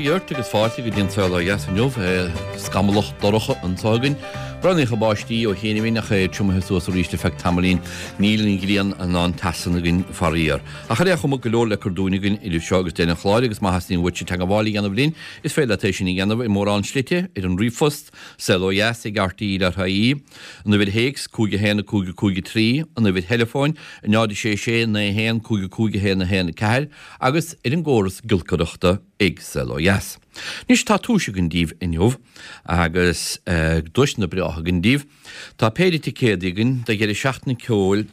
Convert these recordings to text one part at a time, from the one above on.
Dia ort agus fáilte go dtí an Saol Ó Dheas inniu. Scamallach dorcha anseo againn. Breathnaíodh báistí ó chianaibh ach é triomaithe suas arís ar feadh tamaillín. Níl an ghrian in ann teas againn faraor. Ach ar aon chuma, go leor le cur dúinn againn idir seo agus deireadh an chláir agus má theastaíonn uaitse teagmháil a dhéanamh linn, is féidir leat é sin a dhéanamh i mórán slite, ar an ríomhphost, saolodheas@rte.ie, an uimhir théacs, 5 1 5 5 3, an uimhir theileafóin, 0 6 6 9 1 5 5 1 1 4, agus ar an gcóras giolcaireachta ag Saol Ó Dheas. Anois tá duais againn daoibh inniu agus duaiseanna breátha againn daoibh. Tá péire ticéadaí againn do dheireadh seachtaine ceoil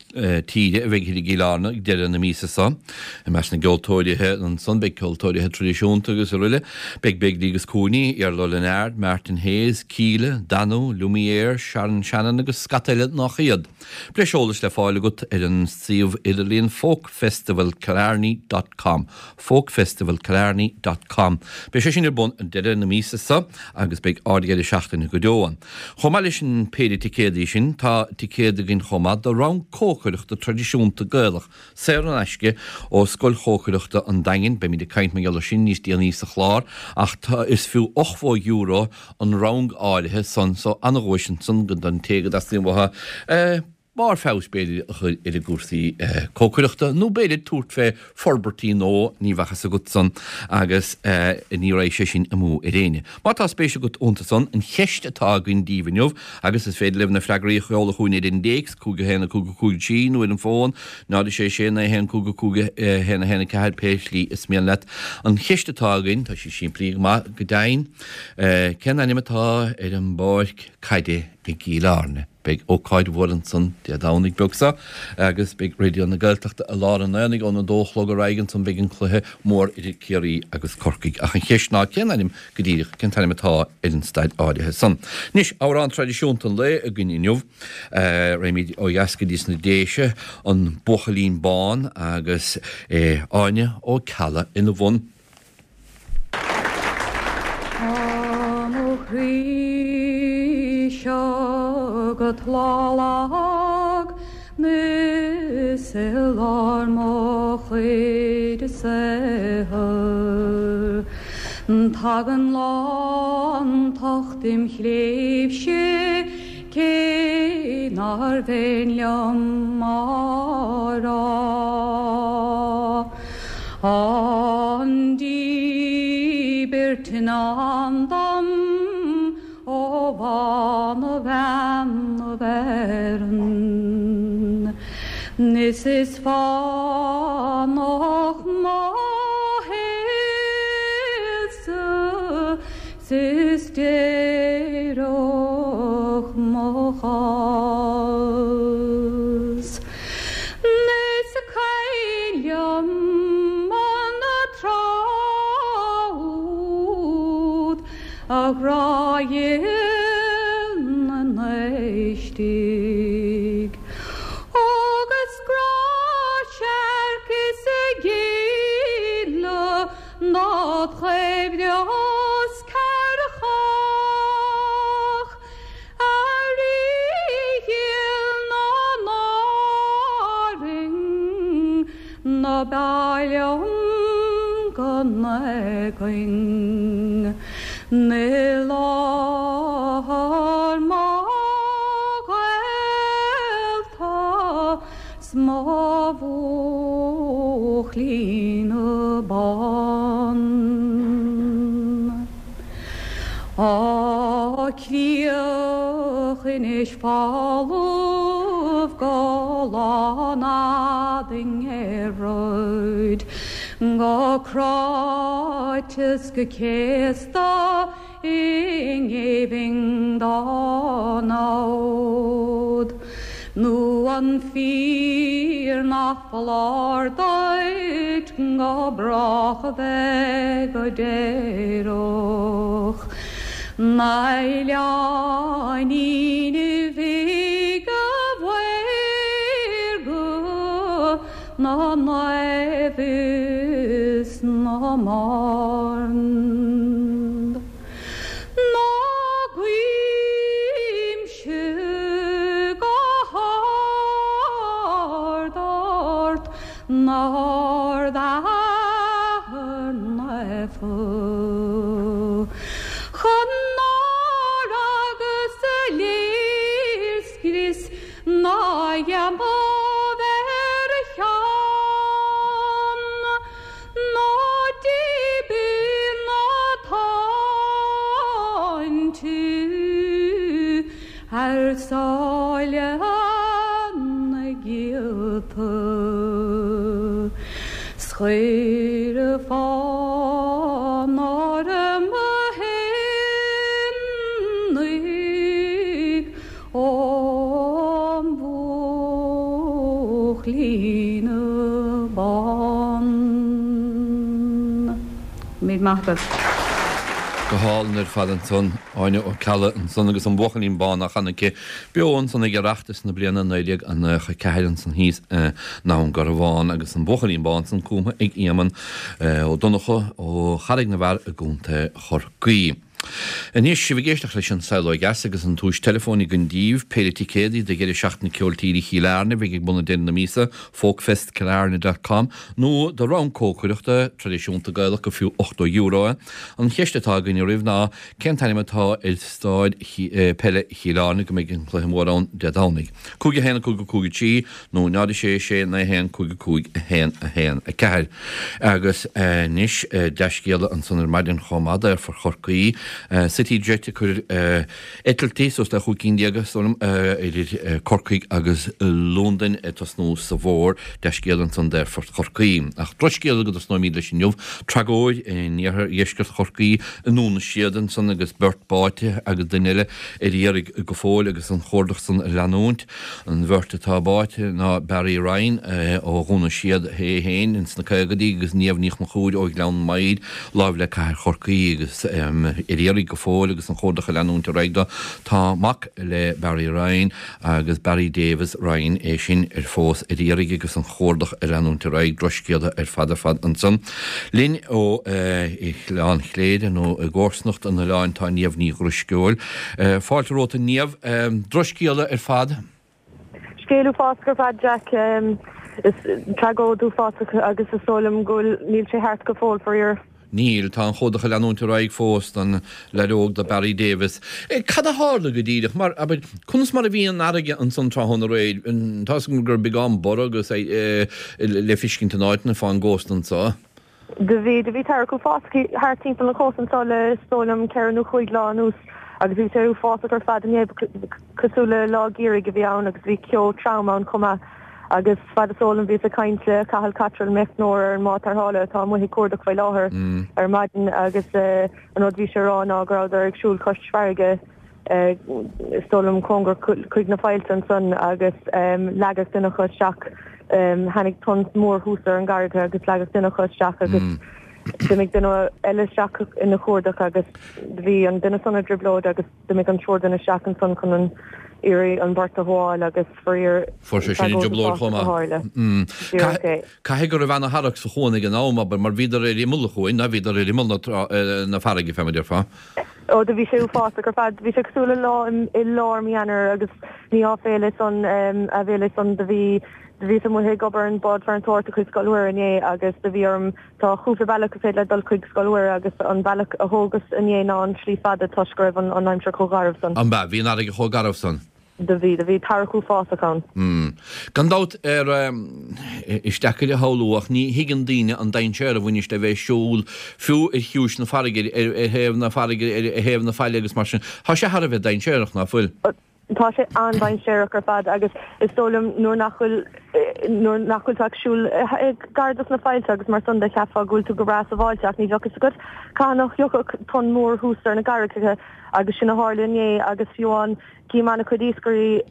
tíre a bheidh thiar i gCill Airne ag deireadh na míosa seo. I measc na gceoltóirithe ansan beidh ceoltóirithe traidisiúnta agus aroile. Beidh Begley agus Cooney, Iarla Ó Lionáird, Martin Hayes, Kíla, Danú, Lumière, Sharon Shannon agus scata eile nach iad. Breis eolais le fáil agat ar an suíomh idirlíon folkfestivalkillarney dot com, folkfestivalkillarney dot com. Beidh sé sin ar bun ag deireadh na míosa seo agus beidh ard-dheireadh seachtaine go deo ann. Chomh maith leis an péire ticéadaí sin, tá ticéad againn chomh maith do rang cócaireachta traidisiúnta Gaelach saor in aisce ó Scoil Chócaireachta an Daingin. Beimid ag caint mar gheall air sin níos déanaí sa chlár ach tá, is fiú €80 an rang áirithe san so ana-dhuais ansan don té go dteastaíonn uathu barr feabhais b'fhéidir a chur ar a gcúrsaí cócaireachta nó b'fhéidir tabhairt fé forbairtí nua, ní bheadh fhios agat san agus ní raghaidh sé sin amú ar éinne. Má tá spéis agat iontu san, an cheist atá againn daoibh inniu agus is féidir libh na freagraí a sheoladh chugainn ar an dtéacs, 5 1 5 5 3 nó ar an bhfón, 0 6 6 9 1 5 5 1 1 4, pé slí is mian leat. An cheist atá againn, tá sí simplí go maith go deimhin, Cén ainm atá ar an bpáirc caide i gCill Airne? Beidh ócáid mhór ansan Dé Domhnaigh beag seo agus beidh Raidió na Gaeltachta i lár an aonaigh ón 2 a chlog ar aghaidh ansan beidh an cluiche mór idir Ciarraí agus Corcaigh. Ach an cheist ná cén ainm go díreach, cén t-ainm atá ar an staid áirithe san? Anois, amhrán traidisiúnta an lae againn inniu. Raghaimid ó dheas go dtí sna Déise, An Buachaillín Bán agus Áine Ó Ceallaigh ina bhun. Tá mo chroí seo go tláth lag 'nis i lár mo chuid saothair. Tagann lántacht im chléibhse cé nár mhéin liom á rá. An díbirt i ndán dom ó bhánabhean na bhfearann, 'Nis is fánach mo shaolsa 's is déireach mo chás. 'Nis cuimhin liom an tráth úd, a ghrá dhil na n-oistigh, Agus grá searc is a gile dod chuibhreas cearcach. A Rí dhil na n-árainn, ná b'áil liom go n-éagainn i láthair mo ghaolta 's mo bhuachaillín bán. Á críoch anois folamh go lán fhad i ngeimhridh, go cráite 's go céasta i ngéibhinn dá namhad. Nó an fíor nach foláir duit go brách a bheith go déireach 'Na oileáinín bhig a mhaorga na naomh is na mban. Ná guímse go hard ort 'nar Athair Naofa. rialta 's chuir fonn orm a théarnaigh ón mbuachaillín bán. Míle maith agat. Go hálainn ar fad ansan, Áine Ó Ceallaigh ansan agus an Buachaillín Bán á chanadh aici beo ansan ag Oireachtas na bliana 1994 ansan thíos i nDún Garbhán agus an Buachaillín Bán san cumtha ag Éamonn Ó Donnchadha ó Charraig na bhFear i gContae Chorcaí. Anois, sibh ag éisteacht leis An Saol Ó Dheas agus an tomhais teileafóin againn daoibh, péire ticéadaí do dheireadh seachtaine ceoil tíre Chill Airne a bheidh ag bun ag deireadh na míosa, folkfestkillarne dot com, nó do rang cócaireachta traidisiúnta Gaelach gur fiú €80 é. An cheist atá againn oraibh ná, cén t-ainm atá ar staid peile Chill Airne go mbeidh an cluiche mór ann Dé Domhnaigh? 5 1 5 5 3 nó 0 6 6 9 1 5 5 1 1 4. Agus anois dea-scéala ansan ar maidin chomh maith d'Aerfort Chorcaí, CityJet ag cur eitiltí suas le 15 cinn is dóigh liom idir Corcaigh agus Londain ag tosnú sa bhfómhar. Dea-scéala ansan d'Aerfort Chorcaí. Ach drochscéala go dtosnóimid leis inniu, tragóid in iarthar dheisceart Chorcaí i nDún na Séad ansan agus beirt báite agus duine eile ar iarraidh go fóill agus an chuardach san ag leanúint. An bheirt atá báite ná Barry Ryan ó Dhún na Séad é féin ins na caogaidí agus Niamh Ní Chonchúir ó Ghleann Maghair, láimh le Cathair Chorcaí agus ar iarraidh go fóill agus an chuardach ag leanúint ar aghaidh dó. Tá mac le Barry Ryan agus Barry Davis Ryan é sin ar fós ar iarraidh agus an chuardach ag leanúint ar aghaidh. Drochscéala ar fad ar fad ansan. Linn ó Oileán Chléire nó i gcomharsanacht an oileáin tá Niamh Ní Dhrisceoil. Fáilte romhat a Niamh. Drochscéala ar fad. Scéal uafásach ar fad Jack. Is tragóid uafásach agus is dóigh liom go bhfuil, níl sé thart go fóill faraor. Níl, tá an chuardach ag leanúint ar aghaidh fós don leaid óg do Barry Davis. Cad a tharla go díreach? Mar, abair, conas mar a bhí an fharraige ansan tráthnóna aréir? Tá 'fhios agam go raibh beagán borradh agus le fiscint in áiteanna fán gcósta anso. Do bhí, do bhí tarrac uafásach thart timpeall an chósta anso le, is dóigh liom, ceithre nó chúig lá anuas agus bhí sé uafásach ar fad inné, cosúil le lá geimhridh a bhí ann agus bhí ceo trom ann chomh maith. Agus fad is eol dom bhíos ag caint le Cathal Cotterill, meicneoir ar an mbád tarrthála atá amuigh ag cuardach faoi láthair ar maidin agus an rud a bhí sé a rá ná go rabhadar ag siúl cois farraige, is dóigh liom cóngarach chuig na faillte ansan agus leagadh duine acu isteach, tháinig tonn mór thuas ar an gcarraig agus leagadh duine acu isteach agus d'imigh duine eile isteach ina chuardach agus bhí an duine san i dtrioblóid agus d'imigh an triúr duine isteach ansan chun an iarraidh an bheirt a ghabháil agus faraor Fuair sé sin i dtrioblóid chomh maith. Díreach é. Caithfidh go raibh ana-tharrac sa chuan ag an am, abair, mar bhíodar ar imeall an chuain, ná bhíodar ar imeall na farraige, fé mar a déarfá. Ó do bhí sé uafásach ar fad. Bhí sé cosúil le lá i lár mí Eanáir agus ní áiféala é san, aiféala é san. Do bhí, do bhíos amuigh ag obair ar an bád farantóireachta chuig Scoil Mhuire inné agus do bhí orm, tá cúpla bealach is féidir leat dul chuig Scoil Mhuire agus an bealach a thógas inné ná an slí fada toisc go raibh an an aimsir chomh garbh san. An b'ea? Bhí an fharraige chomh garbh san? Do bhí, do bhí tarrac uafásach ann. Mm. Gan dabht ar, is deacair a shamhlú ach ní thuigeann daoine an dainséar a bhaineas le bheith ag siúl fiú ar chiumhais na farraige, ar, ar thaobh na farraige, ar, ar thaobh na faille agus mar sin. Tá sé thar a bheith dainséarach, ná fuil? Tá sé an-dainséarach ar fad agus is dóigh liom nuair nach bhfuil, nuair nach bhfuil tú ag siúl gar dos na faillte agus mar san de cheapfá go bhfuil tú go breá sábháilte ach ní bheadh fhios agat cathain a thiocfadh tonn mór thuas ar na carraigeacha agus sin a tharla inné agus fiú amháin Cím an-chuid iascairí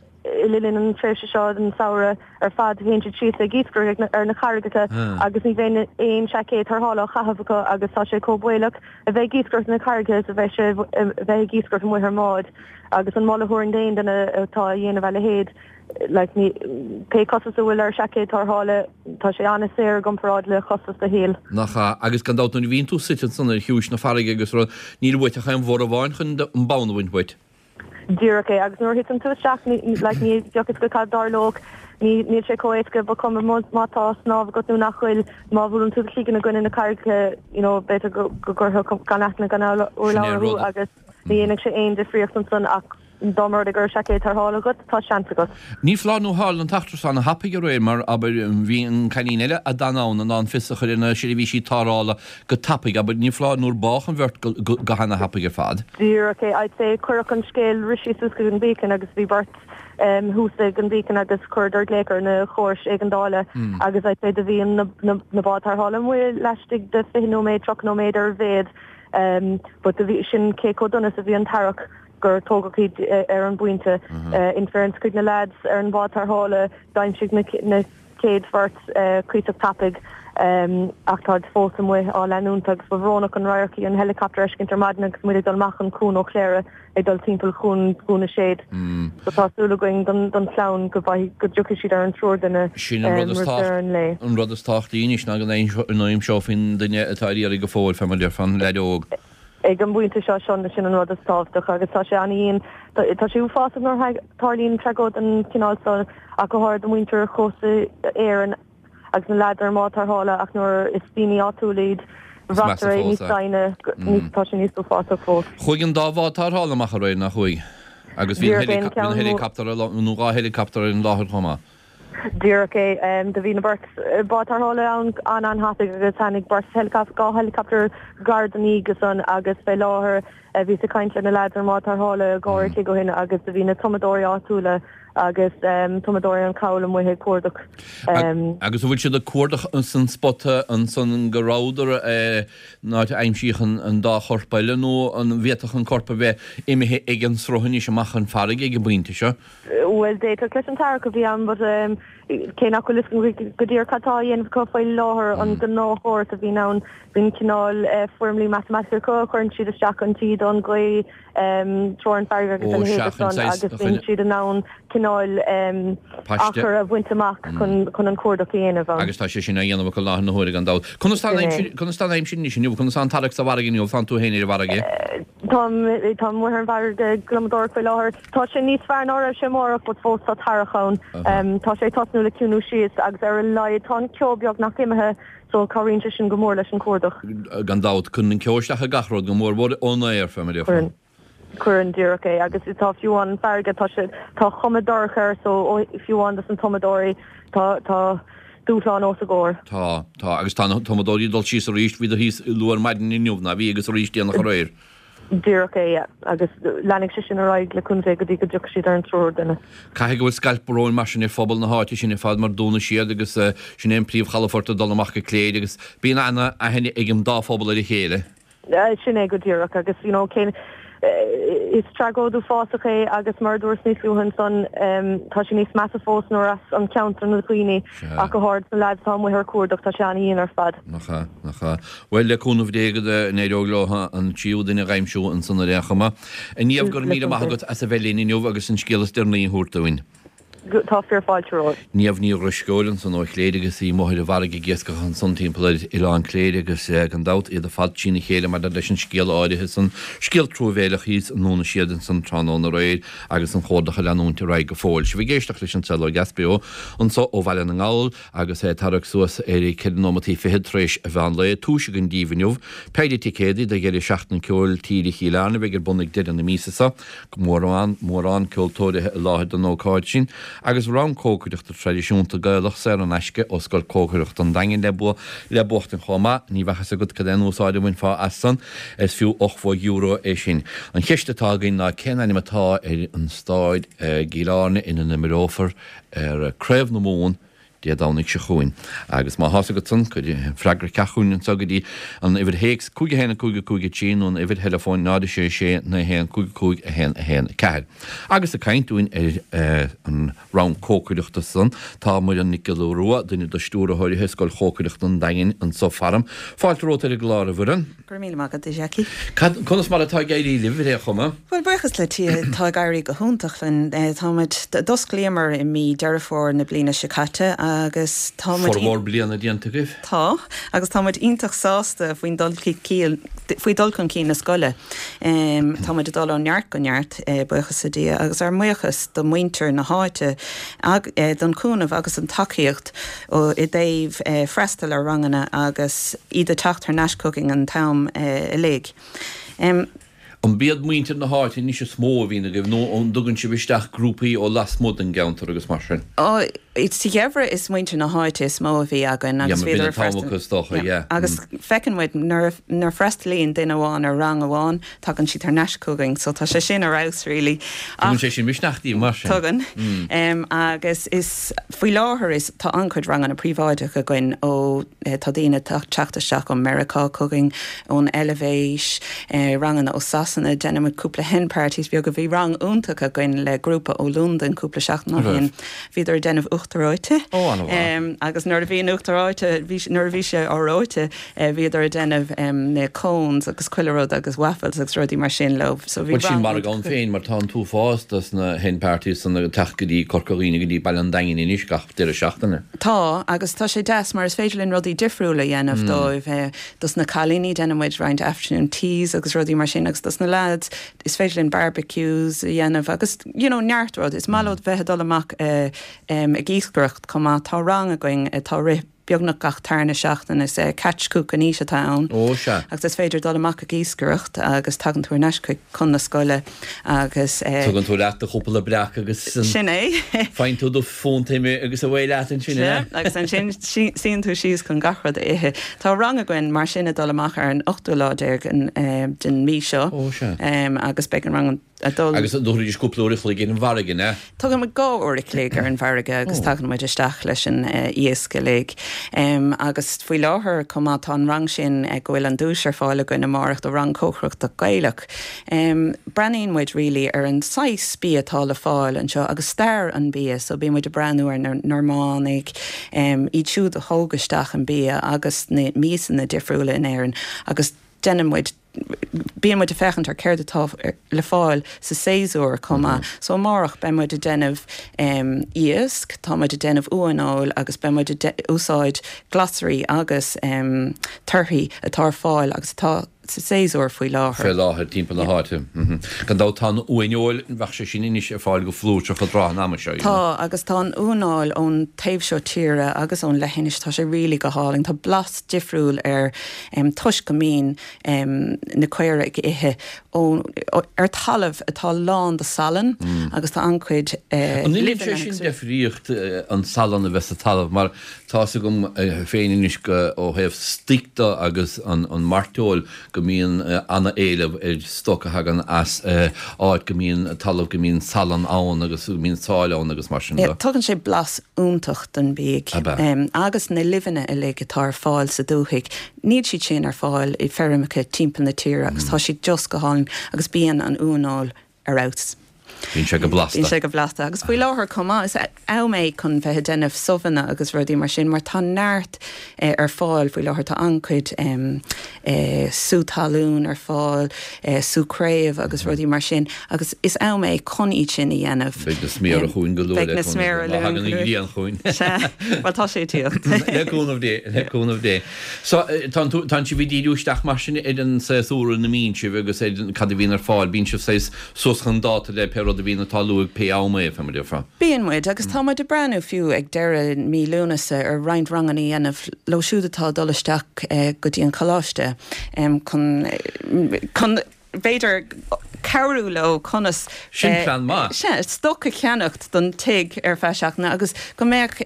le linn an tréimhse seo den samhradh ar fad, théann siad síos ag iascaireacht ar na carraigeacha agus ní bheidh aon seaicéad tarrthála á chaitheamh acu agus tá sé chomh baolach a bheith ag iascaireacht ar na carraigeacha is a bheidh sé a bheith ag iascaireacht amuigh ar an mbád agus an moladh a thabharfainn d'aon duine atá a dhéanamh a leithéid like ní pé costas a bhfuil ar seaicéad tarrthála tá sé an-saor i gcomparáid le costas do shaoil. Nach ea? Agus gan dabht nuair a bhíonn tú suite ansan ar chiumhais na farraige agus rud, níl uait ach aon bhorradh amháin chun an bonn a bhaint uait. Díreach é. Agus nuair a thiteann tú isteach, ní, like, ní bheadh fhios agat cad a tharlódh. Ní, níl sé chomh éasca, ba chuma má, má tá snámh agat nó nach bhfuil, má bhuaileann tú do chloigeann i gcoinne na carraigeacha, you know, b'fhéidir go, go gcuirfeadh gan aithne gan Sin é urlabhra an thú rud. agus ní dhéanfaidh sé aon difríocht ansan ach. dá mba rud é go raibh seaicéad tarrthála agat, tá seans agat. Ní foláir nó tharla an t-eachtra seo ana thapaidh aréir mar, abair, bhí an cailín eile a d'fhan ann in ann fios a chur ar na seirbhísí tarrthála go tapaidh, abair, ní foláir nár bádh an bheirt go hana thapaidh ar fad. Díreach é. I'd say cuireadh an scéal, rith sí suas chuig an Beacon agus bhí beirt thuas ag an Beacon agus chuireadar glaoch ar na chórais éigeandála agus I'd say do bhí na báid tarrthála amuigh laistigh de 20 nóiméad, 30 nóiméad ar a mhéad but do bhí, sin cé chomh dona is a bhí an tarrac gur tógadh iad ar an bpointe. In fairness chuig na lads ar an bhád tarrthála d'aimsigh na chéad bheirt cuíosach tapaidh ach táid fós amuigh á leanúint agus ba bhrónach an radharc í an helicopter a fheiscint ar maidin agus muid ag dul amach an cuan ó Chléire ag dul timpeall chuan Dhún na Séad. So tá súil againn don chlann go bhfaighidh, go dtiocfaidh siad ar an triúr duine Sin an rud is roimh deireadh an lae. an rud is tábhachtaí anois ná go n-aimseofaí an duine atá ar iarraidh go fóill, fé mar a déarfá, an leaid óg. Ag an bpointe seo, sin an rud is tábhachtach agus tá sé an-dhian. Tá sé uafásach nuair a tharlaíonn tragóid den chineál seo ach go háirid do mhuintir chósta Éireann agus na leaids ar an mbád tarrthála ach nuair is daoine áitiúla iad, bhraitear é níos doimhne, tá sé níos uafásach fós. Chuaigh an dá bhád tarrthála amach aréir, nach chuaigh? Agus bhí an helicopter nó 2 helicopter ar an láthair chomh maith. Díreach é. Do bhí na beirt bád tarrthála ann an-an-thapaidh agus tháinig beirt 2 helicopter gar don oíche san agus fé láthair bhíos ag caint le na leaids ar an mbád tarrthála dhá uair a chloig ó shin agus do bhí na tumadóirí áitiúla agus tumadóirí an Chabhail amuigh ag cuardach. Agus an bhfuil siad ag cuardach san spota ansan go rabhadar an áit a aimsíodh an dá chorp eile nó an bhféadfadh an corp a bheith imithe ag an sruth anois amach chun farraige ag an bpointe seo? Bhuel, d'fhéadfadh leis an tarrac a bhí ann but cé nach bhfuil fhios agam go díreach cad tá á dhéanamh acu faoi láthair, an gnáthchóras a bhíonn ann, bíonn cineál foirmlí matamaitic acu a chuireann siad isteach an taoide, an ghaoth, treoir an farraige agus a leithéid san agus bíonn siad in ann cineál achar a bhaint amach chun an cuardach a dhéanamh ann. Agus tá sé sin á dhéanamh acu i láthair na huaire gan dabht. Conas tá an aimsir, conas tá an aimsir anois inniu? Conas tá an tarrac sa bhfarraige inniu? Tánn tú féin ar an bhfarraige? Táim, táim amuigh ar an bhfarraige ag gliomadóireacht faoi láthair. Tá sé níos fearr ná a raibh sé amárach but fós tá tarrac ann. Tá sé ag tosnú le ciúnú síos agus ar a laghad tá an ceo beagnach imithe so cabhraíonn sé sin go mór leis an cuardach. Gan dabht, cuireann an ceo isteach ar gach rud, go mór mhór ón aer, fé mar a déarfá. Cuireann. Cuireann, díreach é. Agus tá fiú amháin an farraige, tá sé, tá cuma dorcha air so fiú amháin dos na tumadóirí tá, tá dúshlán os a gcomhair. Tá, tá. Agus tá na tumadóirí ag dul síos arís, bhíodar thíos luath ar maidin inniu, ná bhí, agus arís déanach aréir. Díreach é, yeah. Agus leanfaidh sé sin ar aghaidh le cúnamh Dé go dtí go dtiocfaidh siad ar an triúr duine. Caithfidh go bhfuil scailp bróin mar sin ar phobal na háite sin ar fad mar Dún na Séad agus sin é an príomhchalafort ag dul amach go Cléire agus bíonn ana-aithne ag an dá phobal ar a chéile. Sin é go díreach agus you know cén is tragóid uafásach é agus mar a dúras níos luaithe ansan tá sé níos measa fós nuair as an cheantar na daoine ach go háirid na lads atá amuigh ar cuardach tá sé an-dhian ar fad. Nach ea, nach ea. Bhuel, le cúnamh Dé go n-éireoidh leo an tríú duine a dh'aimsiú ansan ar aon chuma. A Niamh, go raibh míle maith agat as a bheith linn inniu agus an scéal is deireanaí a thabhairt dúinn. Tá fíor fáilte romhat. Niamh Ní Dhrisceoil ansan ó Chléire agus í amuigh ar an bhfarraige ag iascach ansan timpeall ar Oileán Cléire agus gan dabht iad ar fad trína chéile maidir leis an scéal áirithe san, scéal truamhéileach thíos i nDún na Séad ansan tráthnóna aréir agus an chuardach ag leanúint ar aghaidh go fóill. Sibh ag éisteacht leis an Saol Ó Dheas beo anso ó Bhaile na nGall agus é tarrac suas ar cheithre nóimeataí fichead tar éis a mheán lae. Túis againn díbh inniu. Péire ticéadaí do dheireadh seachtaine ceoil tíre Chill Airne a bheidh ar bun ag deireadh na míosa seo. Mórán, mórán ceoltóirithe i láthair don ócáid sin agus rang cócaireachta traidisiúnta Gaelach saor in aisce ó Scoil Cócaireachta an Daingin le bua, le buachtaint chomh maith. Ní bheadh fhios agat cad é an úsáid a bhainfeá as san. Is fiú €80 é sin. An cheist atá againn ná cén ainm atá ar an stáid i gCill Airne ina n-imreofar ar Craobh na Mumhan Dé Domhnaigh seo chugainn. Agus má thá's agat san, cuir freagra isteach chugainn anseo go dtí an uimhir théacs 5 1 5 5 3 nó an uimhir theileafóin 0 6 6 9 1 5 5 1 1 4. Agus ag caint dúinn ar an rang cócaireachta san, tá Muireann Nic Giolla Rua, duine de stiúrthóirithe Scoil Chócaireachta an Daingin anso faram. Fáilte romhat ar an gclár, a Mhuireann. Go raibh míle maith agat, a Jackie. Cad, conas mar atá ag éirí libh ar aon chuma? Bhuel, buíochas le Dia, tá ag éirí go hiontach linn. Táimid, d'osclaíomar i mí Deireadh Fómhair na bliana seo caite agus tá muid. Formhór bliana déanta agaibh? Tá, agus tá muid iontach sásta faoin dul cinn, faoi dhul chun cinn na scoile. Tá muid ag dul ó neart go neart, buíochas le Dia, agus ár mbuíochas do mhuintir na háite don chúnamh agus an tacaíocht. i dtaobh freastal ar ranganna agus iad ag teacht thar n-ais chugainn an t-am uilig. An b'iad muintir na háite anois is mó a bhíonn agaibh nó an dtugann sibh isteach grúpaí ó lasmuigh den gceantar agus mar sin? Ó, sa gheimhreadh is muintir na háite is mó a bhí againn agus bhíodar ag freastal. Is dócha, yeah. Agus feiceann muid nuair a freastalaíonn duine amháin ar rang amháin, tagann siad thar n-ais chugainn so tá sé sin ar fheabhas really. Tugann sé sin misneach daoibh mar sin? Tugann. Agus is faoi láthair is tá an-chuid ranganna príobháideacha againn ó Tá daoine ag teacht isteach ó Meiriceá chugainn, ón Eilvéis, ranganna ó Sasana, déanann muid cúpla hen parties beaga. Bhí rang iontach againn le grúpa ó Londain cúpla seachtain ó shin. Bhíodar ag déanamh uachtar reoite. Agus nuair a bhí an uachtar reoite, nuair a bhí sé á reoite, bhíodar ag déanamh na cones agus chuile rud agus waffles agus rudaí mar sin leo. So bhí rang. Bhuel sin margadh ann féin mar tá an t-uafás dos na hen parties san ag teacht go dtí Corca Dhuibhne go dtí Baile an Daingin anois gach deireadh seachtaine. Tá, agus tá sé deas mar is féidir linn rudaí difriúla a dhéanamh dóibh. Dos na cailíní déanann muid roinnt afternoon teas agus rudaí mar sin agus dos na lads is féidir linn barbecues a dhéanamh agus you know neart rud. Is maith leo bheith ag dul amach ag iascaireacht chomh maith. Tá rang againn atá ag rith beagnach gach tarna seachtain. Is catch, cook and eat atá ann. Ó sea. Agus is féidir dul amach ag iascaireacht agus tagann tú ar ais chuig chun na scoile agus. Tugann tú leat do chúpla breac agus. Sin é. Faigheann tú do phunt ime agus away leat ansin, an ea? Agus ansin suíonn tú síos chun gach rud a ithe. Tá rang againn mar sin ag dul amach ar an ochtú lá déag den mhí seo. Ó, sea. Agus beidh an rang ag dul. Agus an dtabharfaidís cúpla uair a chloig ar an bhfarraige, an ea? Tugann muid dhá uair a chloig ar an bhfarraige agus tagann muid isteach leis an iasc uilig. Agus faoi láthair chomh maith tá an rang sin go bhfuil an duais ar fáil againn amárach do rang cócaireachta Gaelach. Breathnaíonn muid really ar an saghas bia atá le fáil anseo agus stair an bia so bíonn muid ag breathnú ar na Normánaigh, iad siúd a thóg isteach an bia agus na miasanna difriúla in Éirinn agus déanann muid, bíonn muid ag féachaint ar céard atá le fáil sa séasúr chomh maith. So amárach beidh muid ag déanamh iasc, tá muid ag déanamh uaineoil agus beidh muid ag úsáid glasraí agus torthaí atá ar fáil agus atá sa séasúr faoi láthair. Fé láthair timpeall na háite. Gan dabht tá an uaineoil, bheadh sé sin anois ar fáil go flúirseach i dtráth an ama seo, you know. Tá, agus tá an uaineoil ón taobh seo tíre agus ón leithinis, tá sé really go hálainn. Tá blas difriúil air toisc go mbíonn na caora ag ithe ó, ar talamh atá lán de salann agus tá an-chuid An ndéanann sé sin deifríocht an salann a bheith sa talamh mar Tá's agam féin anois go, ó thaobh stoic de agus an mairteoil, go mbíonn ana-éileamh ar stoc a thagann as áit go mbíonn talamh go mbíonn salann ann agus go mbíonn sáil ann agus mar sin de. Tugann sé blas iontach don bhiaidh. Ab ea? Agus na luibheanna uilig atá ar fáil sa dúthaigh, níl siad sin ar fáil i feirmeacha timpeall na tíre agus tá siad just go hálainn agus bíonn an uaineoil ar fheabhas. Bíonn sé go blasta. Bíonn sé go blasta. Agus faoi láthair chomh maith, is am é chun bheith ag déanamh subhanna agus rudaí mar sin mar tá neart ar fáil faoi láthair. Tá an-chuid sú talún ar fáil, sú craobh agus rudaí mar sin agus is am é chun iad sin a dhéanamh. Beidh na sméara chugainn go luath le cúnamh Dé. Má thagann an ghrian chugainn. Sea. Bhuel, tá sé ag tíocht. Le cúnamh Dé, le cúnamh Dé. So, tá tú, tánn sibh ag díriú isteach mar sin ar an séasúr ina mbíonn sibh agus ar cad a bhíonn ar fáil. Bíonn sibh saghas suas chun dáta le pé rud a bhíonn ag tarlú ag pé am é, fé mar a déarfá. Bíonn muid, agus tá muid ag breathnú fiú ag deireadh mí Lúnasa ar roinnt ranganna a dhéanamh leo siúd atá ag dul isteach go dtí an coláiste chun, chun b'fhéidir cabhrú leo conas. Sin plean maith. Sea, stoc a cheannacht don tigh ar feadh seachtaine agus go mbeadh,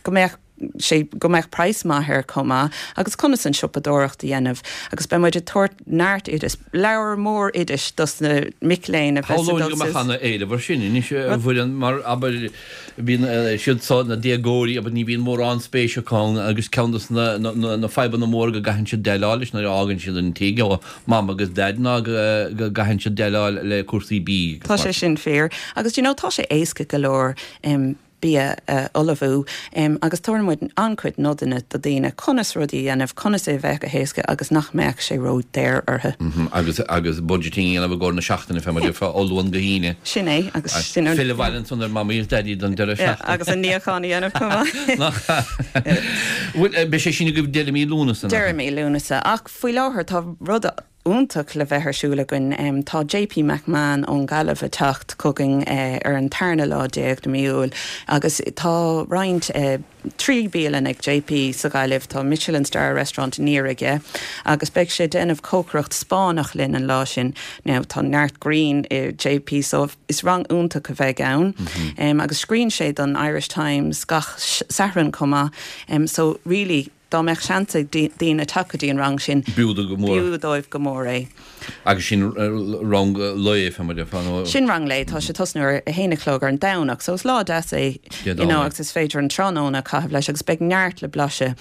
go mbeadh. sé go mbeadh praghas maith air chomh maith agus conas an siopadóireacht a dhéanamh agus beidh muid ag tabhairt neart oideas, leabhar mór oidis dos na mic léinn a bheas ag dul Shamhlóinn go mbeadh ana éileamh ar sin anois a Mhuireann mar abair bíonn siad so na déagóirí abair ní bhíonn mórán spéis acu ann agus ceann dos na na fadhbanna móra go gcaitheann siad déileáil leis nuair a fhágann siad an tigh ó Mam agus Daid ná go gcaitheann siad déileáil le cúrsaí bídh agus Tá sé sin fíor agus do you know tá sé éasca go leor bia a ullmhú agus tabharann muid an-chuid nodanna do daoine conas rudaí a dhéanamh, conas é a bheith go héasca agus nach mbeadh sé ró-daor orthu. Agus agus budgeting a dhéanamh i gcomhair na seachtaine fé mar a déarfá ó Luan go hAoine. Sin é agus sin an. Filleadh abhaile ansan ar Mamaí is Daidí don deireadh seachtaine. Agus an níochán a dhéanamh chomh maith. Nach ea? Bhuel, beidh sé sin agaibh deireadh mí Lúnasa, nach ea? Deireadh mí Lúnasa ach faoi láthair tá rud. iontach le bheith ar siúl againn. Tá JP McMahon ón Ghaillimh ag teacht chugainn ar an tarna lá déag de mí Iúil agus tá roinnt 3 bialann ag JP sa Ghaillimh, tá Michelin Star Restaurant aniar aige agus beidh sé ag déanamh cócaireacht Spáinneach linn an lá sin. Now tá neart grinn i JP so is rang iontach a bheidh ann agus scríonn sé don Irish Times gach Satharn chomh maith so really Dá mbeadh seans ag daoine teacht go dtí an rang sin, b'fhiú dóibh go mór. B'fhiú dóibh go mór é. Agus sin rang lae, fé mar a déarfá, nó? Sin rang lae, tá sé ag tosnú ar a haon a chlog ar an Domhnach, so is lá deas é, you know, agus is féidir an tráthnóna a chaitheamh leis agus beidh neart le blaiseadh.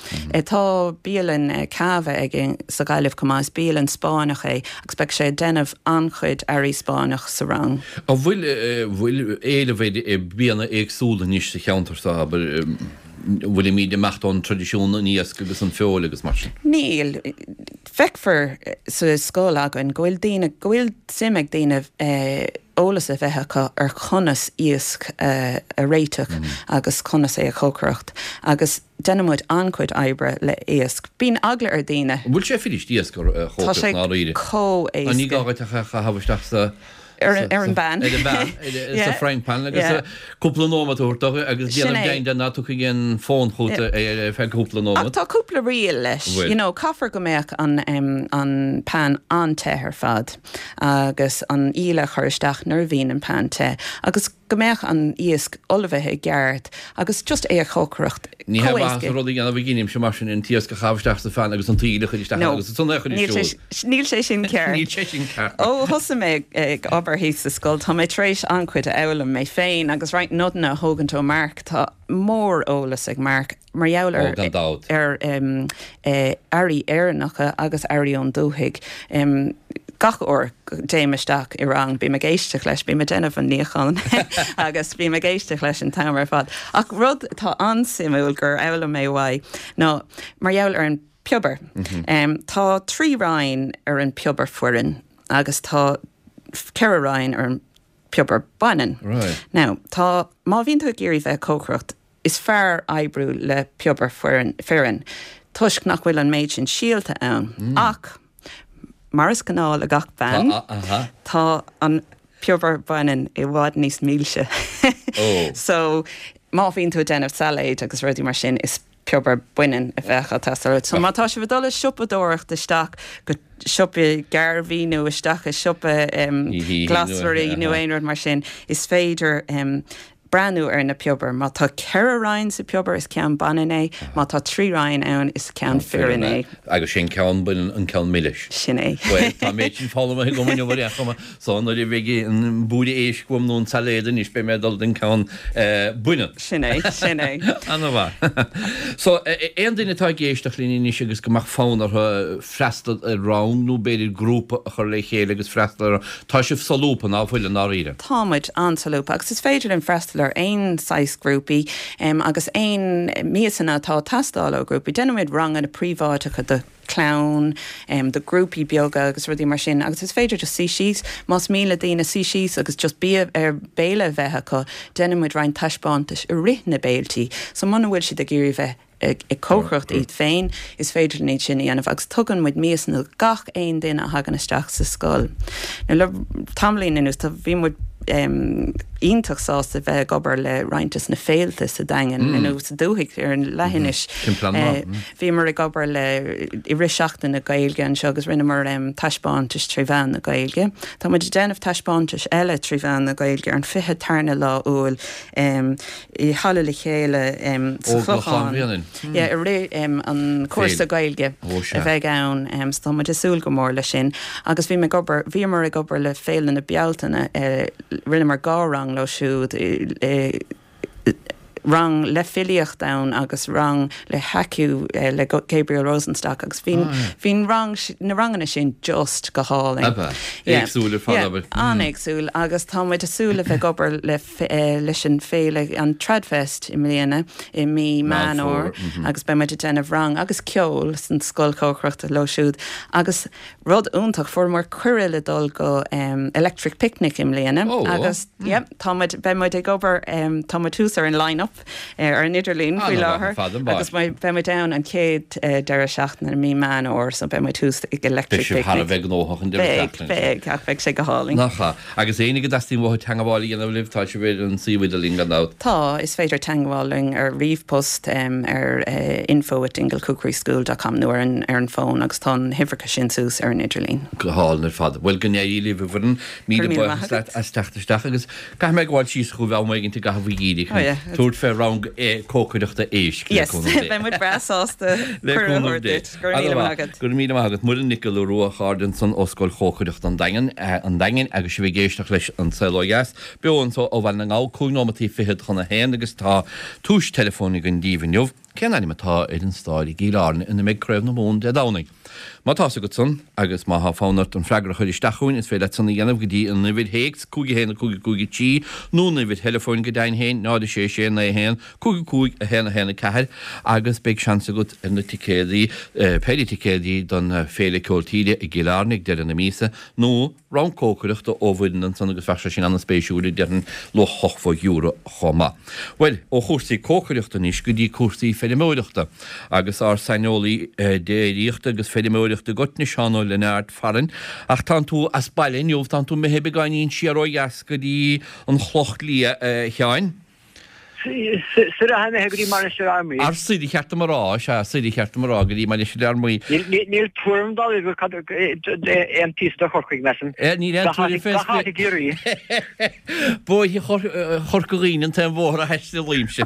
Tá bialann Cava aige sa Ghaillimh chomh maith, is bialann Spáinneach é agus beidh sé ag déanamh an-chuid earraí Spáinneach sa rang. An bhfuil, bhfuil éileamh ar bianna éagsúla anois sa cheantar seo, abair? bhfuilimid ag imeacht ón traidisiún an iasc agus an feoil agus mar sin? Níl. Feicfear sa scoil againn go bhfuil daoine, go bhfuil suim ag daoine eolas a bheith acu ar chonas iasc a réiteach agus conas é a chócaireacht agus déanann muid an-chuid oibre le iasc. Bíonn eagla ar daoine. An bhfuil sé fuirist iasc a chócaireacht i ndáiríre? Tá sé chomh héasca. Ní gá dhuit ach é a chaitheamh isteach sa Ar an bpan. Ar an bpan, sa frying pan agus cúpla nóiméad a thabhairt dó agus déanamh deimhin de ná tiocfaidh aon fonn chugat ar feadh cúpla nóiméad. Ach tá cúpla riail leis. You know, caithfear go mbeadh an an pan an-te ar fad agus an íle a chur isteach nuair a bhíonn an pan te agus go mbeadh an iasc ullmhaithe i gceart agus just é a chócaireacht Ní hé maitheas an rud a dhéanamh a dheinimse mar sin, an t-iasc a chaitheamh isteach sa pheann agus an t-íle a chur isteach ann agus ansan é a chur ar siúl. Níl sé sin ceart. Níl sé sin ceart. Ó thosaigh mé ag obair thíos sa scoil, tá mé tar éis an-chuid a fhoghlaim mé féin agus roinnt nodanna a thógaint ó Mark. Tá mór-eolas ag Mark mar gheall ar Ó, gan dabht. ar earraí Éireannacha agus earraí ón dúthaigh. Gach uair go dtéim isteach i rang, bím ag éisteacht leis, bím ag déanamh an níocháin agus bím ag éisteacht leis an t-am ar fad. Ach rud atá an-suimiúil gur fhoghlaim mé uaidh ná mar gheall ar an piobar. Tá 3 roinn ar an piobar fireann agus tá 4 roinn ar an piobar baineann. Now, tá, má bhíonn tú ag iarraidh bheith ag cócaireacht, is fearr oibriú le piobar fireann toisc nach bhfuil an méid sin síolta ann. Ach, mar is gnáth le gach bean, tá an piobar baineann i bhfad níos milse. So, má bhíonn tú ag déanamh sailéid agus rudaí mar sin, is piobar baineann a bheadh ag teastáil uait. So má tá sibh ag dul ag siopadóireacht isteach go siopa Garvey nó isteach i siopa glasraí nó aon rud mar sin, is féidir breathnú ar na piobair. Má tá 4 roinn sa phiobar, is ceann baineann é. Má tá 3 roinn ann, is ceann fireann é. Agus sé an ceann baineann an ceann milis. Sin é. Bhuel, tá an méid sin foghlamtha agam inniu ar aon chuma. So nuair a bheidh an búire éisc uaim nó an sailéad anois beidh mé ag dul don ceann baineann. Sin é, sin é. Ana-mhaith. So, aon duine atá ag éisteacht linn anois agus go mbeadh fonn orthu freastal ar rang nó b'fhéidir grúpa a chur le chéile agus freastal ar rang, tá sibh solúbtha, ná fuil, i ndáiríre? Tá muid an-solúbtha agus is féidir linn freastal ar aon saghas grúpaí agus aon miasanna atá ag teastáil ó ghrúpaí. Déanann muid ranganna príobháideacha do. clann, do grúpaí beaga agus rudaí mar sin agus is féidir just suí síos, más mian le daoine suí síos agus just bia ar béile a bheith acu, déanann muid roinnt taispeántais i rith na béiltí so muna bhfuil siad ag iarraidh bheith ag cócaireacht iad féin, is féidir linn iad sin a dhéanamh agus tugann muid miasanna do gach aon duine a thagann isteach sa scoil. Now le tamaillín anuas tá, bhí muid iontach sásta bheith ag obair le roinnt des na féilte sa Daingean nó sa dúthaigh ar an leathinis. Bhíomar ag obair le i rith Seachtain na Gaeilge anseo agus rinneamar taispeántais tré mheán na Gaeilge. Tá muid ag déanamh taispeántais eile tré mheán na Gaeilge ar an 20 tarna lá Iúil i Halla Le Chéile sa Chlochán i rith an cúrsa Gaeilge a bheidh ann so tá muid ag súil go mór leis sin. Agus bhí mé ag obair, bhíomar ag obair le Féile na Bealtaine, rinneamar 2 rang leo siúd, rang le filíocht ann agus rang le haiku le Gabriel Rosenstock agus bhí bhí an rang na ranganna sin just go hálainn. Ab ea? Éagsúil ar fad, abair. An-éagsúil agus tá muid ag súil le bheith ag obair le leis an féile an Tradfest i mbliana i mí Meán Fómhair agus beidh muid ag déanamh rang agus ceol san scoil chócaireachta leo siúd agus rud iontach fuaireamar cuireadh le dul go Electric Picnic i mbliana agus yeah tá muid beidh muid ag obair tá muid thuas ar an line up. ar an idirlíon faoi láthair agus beidh muid ann an chéad deireadh seachtaine i mí Meán Fhómhair so beidh muid thuas ag Electric Picnic. Beidh sibh thar a bheith gnóthach an deireadh seachtaine sin. Beidh, beidh, ach beidh sé go hálainn. Nach ea. Agus éinne go dteastaíonn uathu teangabháil a dhéanamh libh, tá sibh ar an suíomh idirlín gan dabht. Tá, is féidir teangabháil linn ar ríomhpost ar info at dinglecookeryschool dot com nó ar an ar an fón agus tá na huimhreacha sin suas ar an idirlíon. Go hálainn ar fad. Bhuel, go n-éirí libh a Mhuireann. Míle buíochas leat as teacht isteach agus caithfidh mé gabháil síos chugaibh am éigin i gcaitheamh an gheimhridh chun tabhairt fé rang cócaireachta éisc le cúnamh Dé. Beidh muid breá sásta cuireadh a thabhairt duit. Go raibh míle maith agat. Go raibh míle maith agat. Muireann Nic Giolla Rua, a chairde ansan ó Scoil Chócaireachta an Daingin, an Daingin agus sibh ag éisteacht leis An Saol Ó Dheas, beo anso ó Bhaile na nGall, cúig nóimeataí fichead chun a haon agus tá tomhais teileafóin againn daoibh inniu. Cén ainm atá ar an staid i gCill Airne ina mbeidh Craobh na Mumhan Dé Domhnaigh? Má tá's agat san, agus má thá fonn ort an freagra a chur isteach chugainn, is féidir leat san a dhéanamh go dtí an uimhir théacs, 5 1 5 5 3, nó an uimhir theileafóin go deimhin féin, 0 6 6 9 1 5 5 1 1 4, agus beidh seans agat ar na ticéadaí, péire ticéadaí don Féile Ceol Tíre i gCill Airne ag deireadh na míosa, nó. Rang cócaireachta ó Mhuireann ansan agus bheadh sé sin an-spéisiúil, déarfainn, luach €80 chomh maith. Bhuel, ó chúrsaí cócaireachta anois go dtí cúrsaí feirmeoireachta agus ár saineolaí déiríochta agus feirmeoireachta i gcoitinne, Seán Ó Lionáird farainn. Ach tánn tú as baile inniu, tánn tú imithe beagáinín siar ó dheas go dtí an Chloch Liath, a Sheáin. Soir atá imithe go dtí Mainistir Fhear Maí. Ar soir ba cheart dom a rá, sea, soir ba cheart dom a rá, go dtí Mainistir Fhear Maí. Níl tuairim dá laghad cad aon píosa de Chorcaigh, measaim. Níl aon tuairim fé. Gach áit i gCiarraí. Bóithre Chorca Dhuibhne an t-aon bhóthar a thaistealaímse.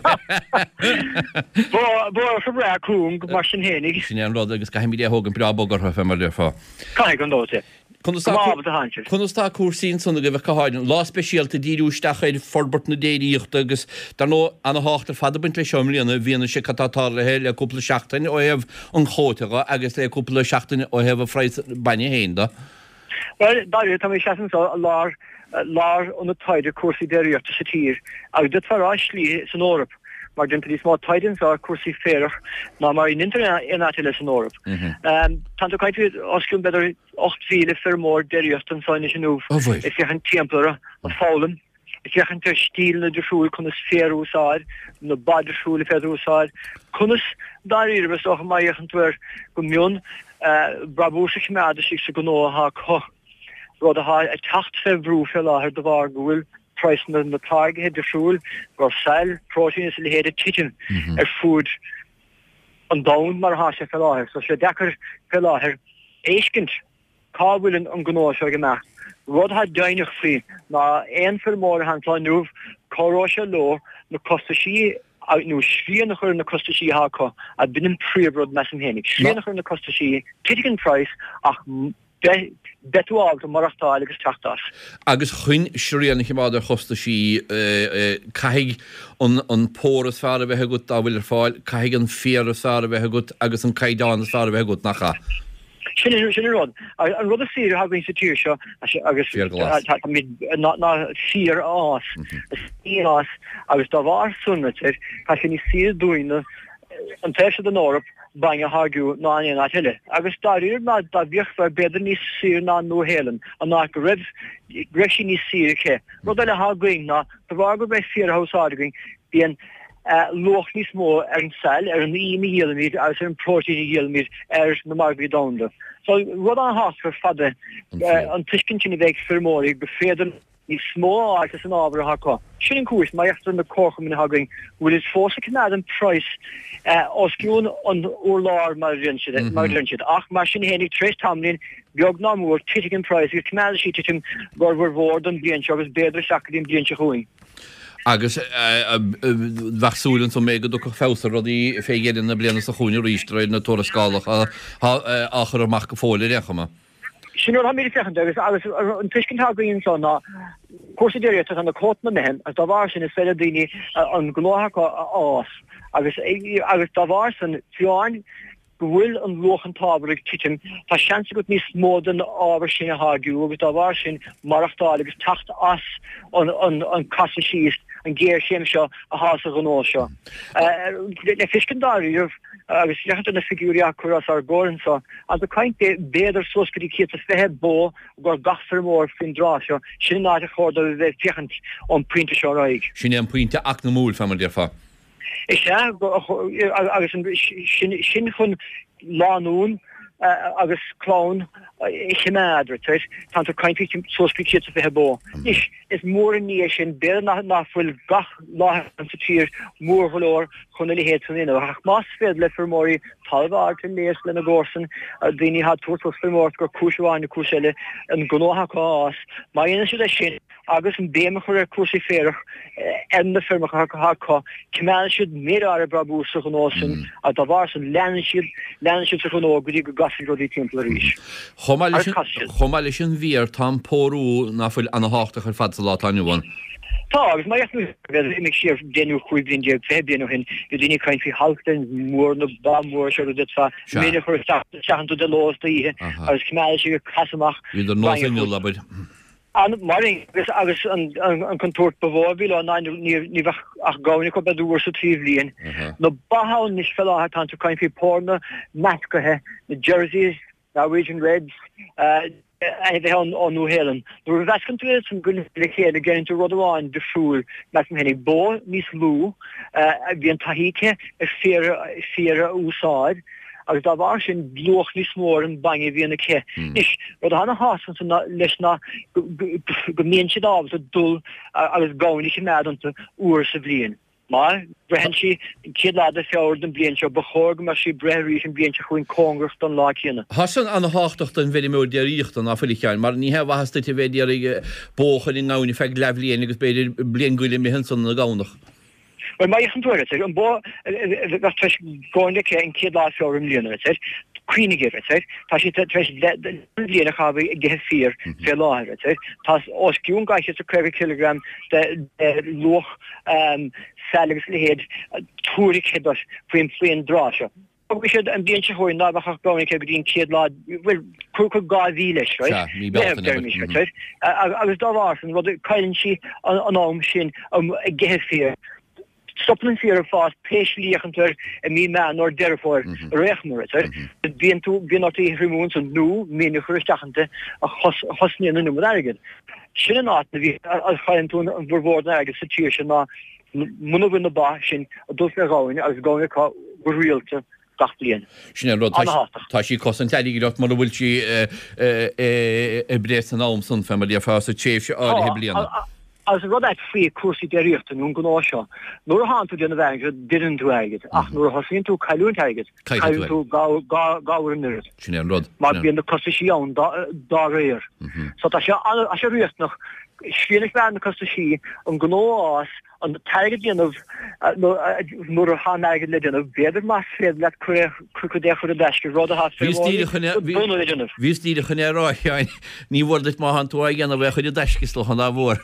Bóthar breá cúng, mar sin fhéinig. Sin é an rud, agus caithfimid é a thógaint breá bog orthu, fé mar a déarfá. Caithfidh, gan dabht. Conas Conas tá cúrsaí ansan agaibh ach go háirithe? Lá speisialta ag díriú isteach ar forbairt na déiríochta agus, dar ndóigh, ana-thábhacht ar fad ag baint leis seo i mbliana i bhfianaise cad tá tarlaithe le cúpla seachtain ó thaobh an chuóta dhe agus le cúpla seachtain ó thaobh an phraghas bainne féin de. Bhuel, dáiríre, tá mé ag seasamh anseo i lár lár ionad taighde cúrsaí déiríochta sa tír agus d'fhéadfá a rá i slí san Eoraip mar déantar níos mó taighde anseo ar cúrsaí féarach ná mar a dhéantar in aon áit eile san Eoraip. Tá tú ag caint faoi os cionn b'fhéidir 8,000 feirmeoir déiríochta anseo anois inniu ag féachaint timpeall orthu, ag foghlaim, ag féachaint ar stíleanna difriúil conas féar a úsáid, na ba difriúil a féidir a úsáid, conas dáiríre is dócha má fhéachann tú air go mion, brabús a choimeád istigh sa ghnó atá acu, rud atá ag teacht fé bhrú fé láthair de bharr go bhfuil praghsanna na táirgithe difriúil, go saill, próitéin is a leithéid ag titim ar fuaid an domhan mar atá sé fé láthair. So tá sé deacair fé láthair fheiscint cá bhfuil an gnó seo ag imeacht. Rud atá deimhneach faoi ná aon feirmeoir atá anseo inniu, cabhróidh sé leo na costaisí nó srian a chur ar na costaisí atá acu, a b'in an príomhrud measaim féinig. Srian a chur ar na costaisí, titfidh an praghas ach beidh tú ábalta maireachtáil agus teacht as. Agus chun srian a choimeád ar chostaisí, caithfidh an pór is fearr a bheith agat dá bhfuil ar fáil, caithfidh an féar is fearr a bheith agat agus an caighdeán is fearr a bheith agat, nach ea? Sin an rud. An rud is saoire atá againn sa tír seo agus ná féar a fhás. Is fhás agus dá bharr san, tá sé níos saoire dúinne an taobh seo den Eoraip bainne a tháirgiú ná in aon áit eile. Agus dáiríre ná dá bhféachfá b'fhéidir níos saoire ná an Nua-Shéalainn, an áit go raibh go raibh sí níos saoire aici. Rud eile atá againn ná de bharr gurb é féar atá á úsáid againn, bíonn luach níos mó ar an saill, ar an im a dhíolaimid agus ar an bpróitéin a dhíolaimid ar na margaí domhanda. So rud an-thábhachtach ar fad é an tuiscint sin a bheith ag feirmeoirí go féidir níos mó a fháilt as an ábhar atá acu. Sin an chúis, má fhéachtar ar na comharchumainn atá againn, go bhfuil siad fós ag coimeád an praghas os cionn an urláir mar a deireann siad. Ach mar sin fhéinig, tar éis tamaillín, beag ná mór, titfidh an praghas agus coimeádfaidh sí ag titim d'fhormhór mhór don bhliain seo agus b'fhéidir isteach go dtí an bhliain seo chugainn. Agus bheadh súil ansan go dtiocfadh feabhas ar rudaí fé dheireadh na bliana seo chugainn arís de réir na tuarascálacha atá á chur amach go fóill ar aon chuma. Sin rud atáimid ag féachaint agus agus an tuiscint atá againn anseo ná cúrsaí déiríochta tá na cuótanna imithe agus dá bharr sin is féidir le daoine an gnó acu a fhás agus agus dá bharr sin fiú amháin go bhfuil an luach an t-ábhar ag titim tá seans agat níos mó den ábhar sin a tháirgiú agus dá bharr sin maireachtáil agus teacht as an an an casadh síos an ghéarchéim seo atá sa ghnó seo. Le feiscint dáiríribh agus féachaint ar na figiúirí á cur os ár gcomhair anseo Agus ag caint b'fhéidir suas go dtí 120 bó i gcomhair gach feirmeoir faoin dtráth seo, sin an áit ar chóir dóibh a bheith ag féachaint ón bpointe seo ar aghaidh. Sin é an pointe eacnamúil, fé mar a déarfá. Is ea, agus sin chun lánúin agus clann a choimeád, right? Tá tú ag caint faoi suas go 120 bó. Anois, is mór an ní é sin, b'fhéidir nach bhfuil gach láthair sa tír mór go leor chun a leithéid san a dhéanamh, ach más féidir le feirmeoirí talamh a fháil ar léas lena gcomharsain, daoine atá ag tabhairt suas feirmeoireacht gur cúis amháin nó cúis eile an gnó acu a fhás, má dhéanann siad é sin, agus an béim a chur ar cúrsaí féarach ar na feirmeacha atá acu, coimeádann siad méid áirithe brabús sa ghnó sin agus dá bharr sin leanann siad leanann siad sa ghnó go dtí go gcasfaidh rudaí timpeall arís. Chomh maith leis an chomh maith leis an bhféar tá an pórú ná fuil ana-thábhachtach ar fad sa lá atá inniu ann. Tá, agus má fhéachann tú imigh siar 10 nó 15 bliain, 20 bliain ó shin, bhí daoine ag caint faoi Holsteins mór na ba móra seo rud a d'fhéadfá mil a chur isteach isteach iontu de ló is d'oíche agus coimeádann siad ag casadh amach Bhíodar nós inneall, abair. An mar agus agus an an contúirt ba mhó a bhí leo ná ní ní bheadh ach gamhain acu b'fhéidir uair sa trí bhliain. Na ba ann anois fé láthair tá tú ag caint faoi póranna meascaithe, na Jerseys, Norwegian Reds, ainmhithe ón ón Nua-Shéalainn. Nuair a mheascann tú iad san go le chéile déanann tú rud amháin difriúil measaim féinig, bó níos lú a bhíonn taithí aici ar féar féar a úsáid, agus dá bharr sin luach níos mó ar an bainne a bhíonn aici. Anois, rud atá ana-thábhachtach ansan leis ná go mbíonn siad ábalta dul agus gamhain a choimeád iontu uair sa bhliain. Má bhreitheann sí an chéad lá de Feabhra den bhliain seo, ba chóir go mbeadh sí ag breith arís an bhliain seo chugainn cóngarach don lá céanna. Tá san ana-thábhachtach don bhfeirmeoir déiríochta, ná fuil, a Sheáin, mar ní haon mhaitheas duit a bheith ag iarraidh bó a chur i ngamhain ar feadh leathbhliain agus b'fhéidir bliain go leith imithe ansan ina gamhnach. Bhuel, má fhéachann tú air, a an bó a bheadh tar éis gamhain aici an chéad lá Feabhra i mbliana, a cuimhnigh air, tá sí tar éis leathbhliain a chaitheamh ag ithe féir fé láthair, tá os cionn 250 cileagram de luach saille agus a leithéid tuairgthe duit faoin faoin dtráth seo. Fágfaidh siad an bhliain seo chugainn ná beadh ach gamhain aici go dtí an chéad lá, bhuel, cuir cuir 2 mhí leis, right? Sea, mí Bealtaine, Meitheamh, deirimís, right? Agus dá bharr sin, rud, cailleann sí an am sin ag ithe féir. Stopann an féar ag fás pé slí a fhéachann tú air i mí Meán nó Deireadh Fómhair, ar aon chuma, right? Bíonn tú, bíonn ort í a thriomú ansan nó min a chur isteach inti a chosnaíonn an iomad airgid. Sin an áit a bhí, a chailleann tú an bhformhór den airgead sa tír seo ná muna bhfuil na ba sin ag dul fé ghamhain agus gamhain acu go rialta gach bliain. Sin é an rud, tá sí ag cosaint airgid ort mura bhfuil sí ag breith san am san, fé mar a déarfá, sa tréimhse áirithe bliana. Agus an rud ait faoi cúrsaí déiríochta nó an gnó seo, nuair atánn tú ag déanamh airgid, déanann tú airgead, ach nuair a thosaíonn tú ag cailliúint airgid, cailleann tú dhá uair an oiread. Sin é an rud. Mar bíonn na costaisí ann dá réir. So tá sé riachtanach srian a chur ar na costaisí, an gnó a fhás, an t-airgead a dhéanamh nuair atá an airgead le déanamh, b'fhéidir más féidir leat cuid de a chur i dtaisce, rud atá feirmeoirí dona le déanamh. Bhíos díreach chun é a rá, a Sheáin, ní mhór duit má thánn tú á dhéanamh é a chur i dtaisce is dócha nár mhór.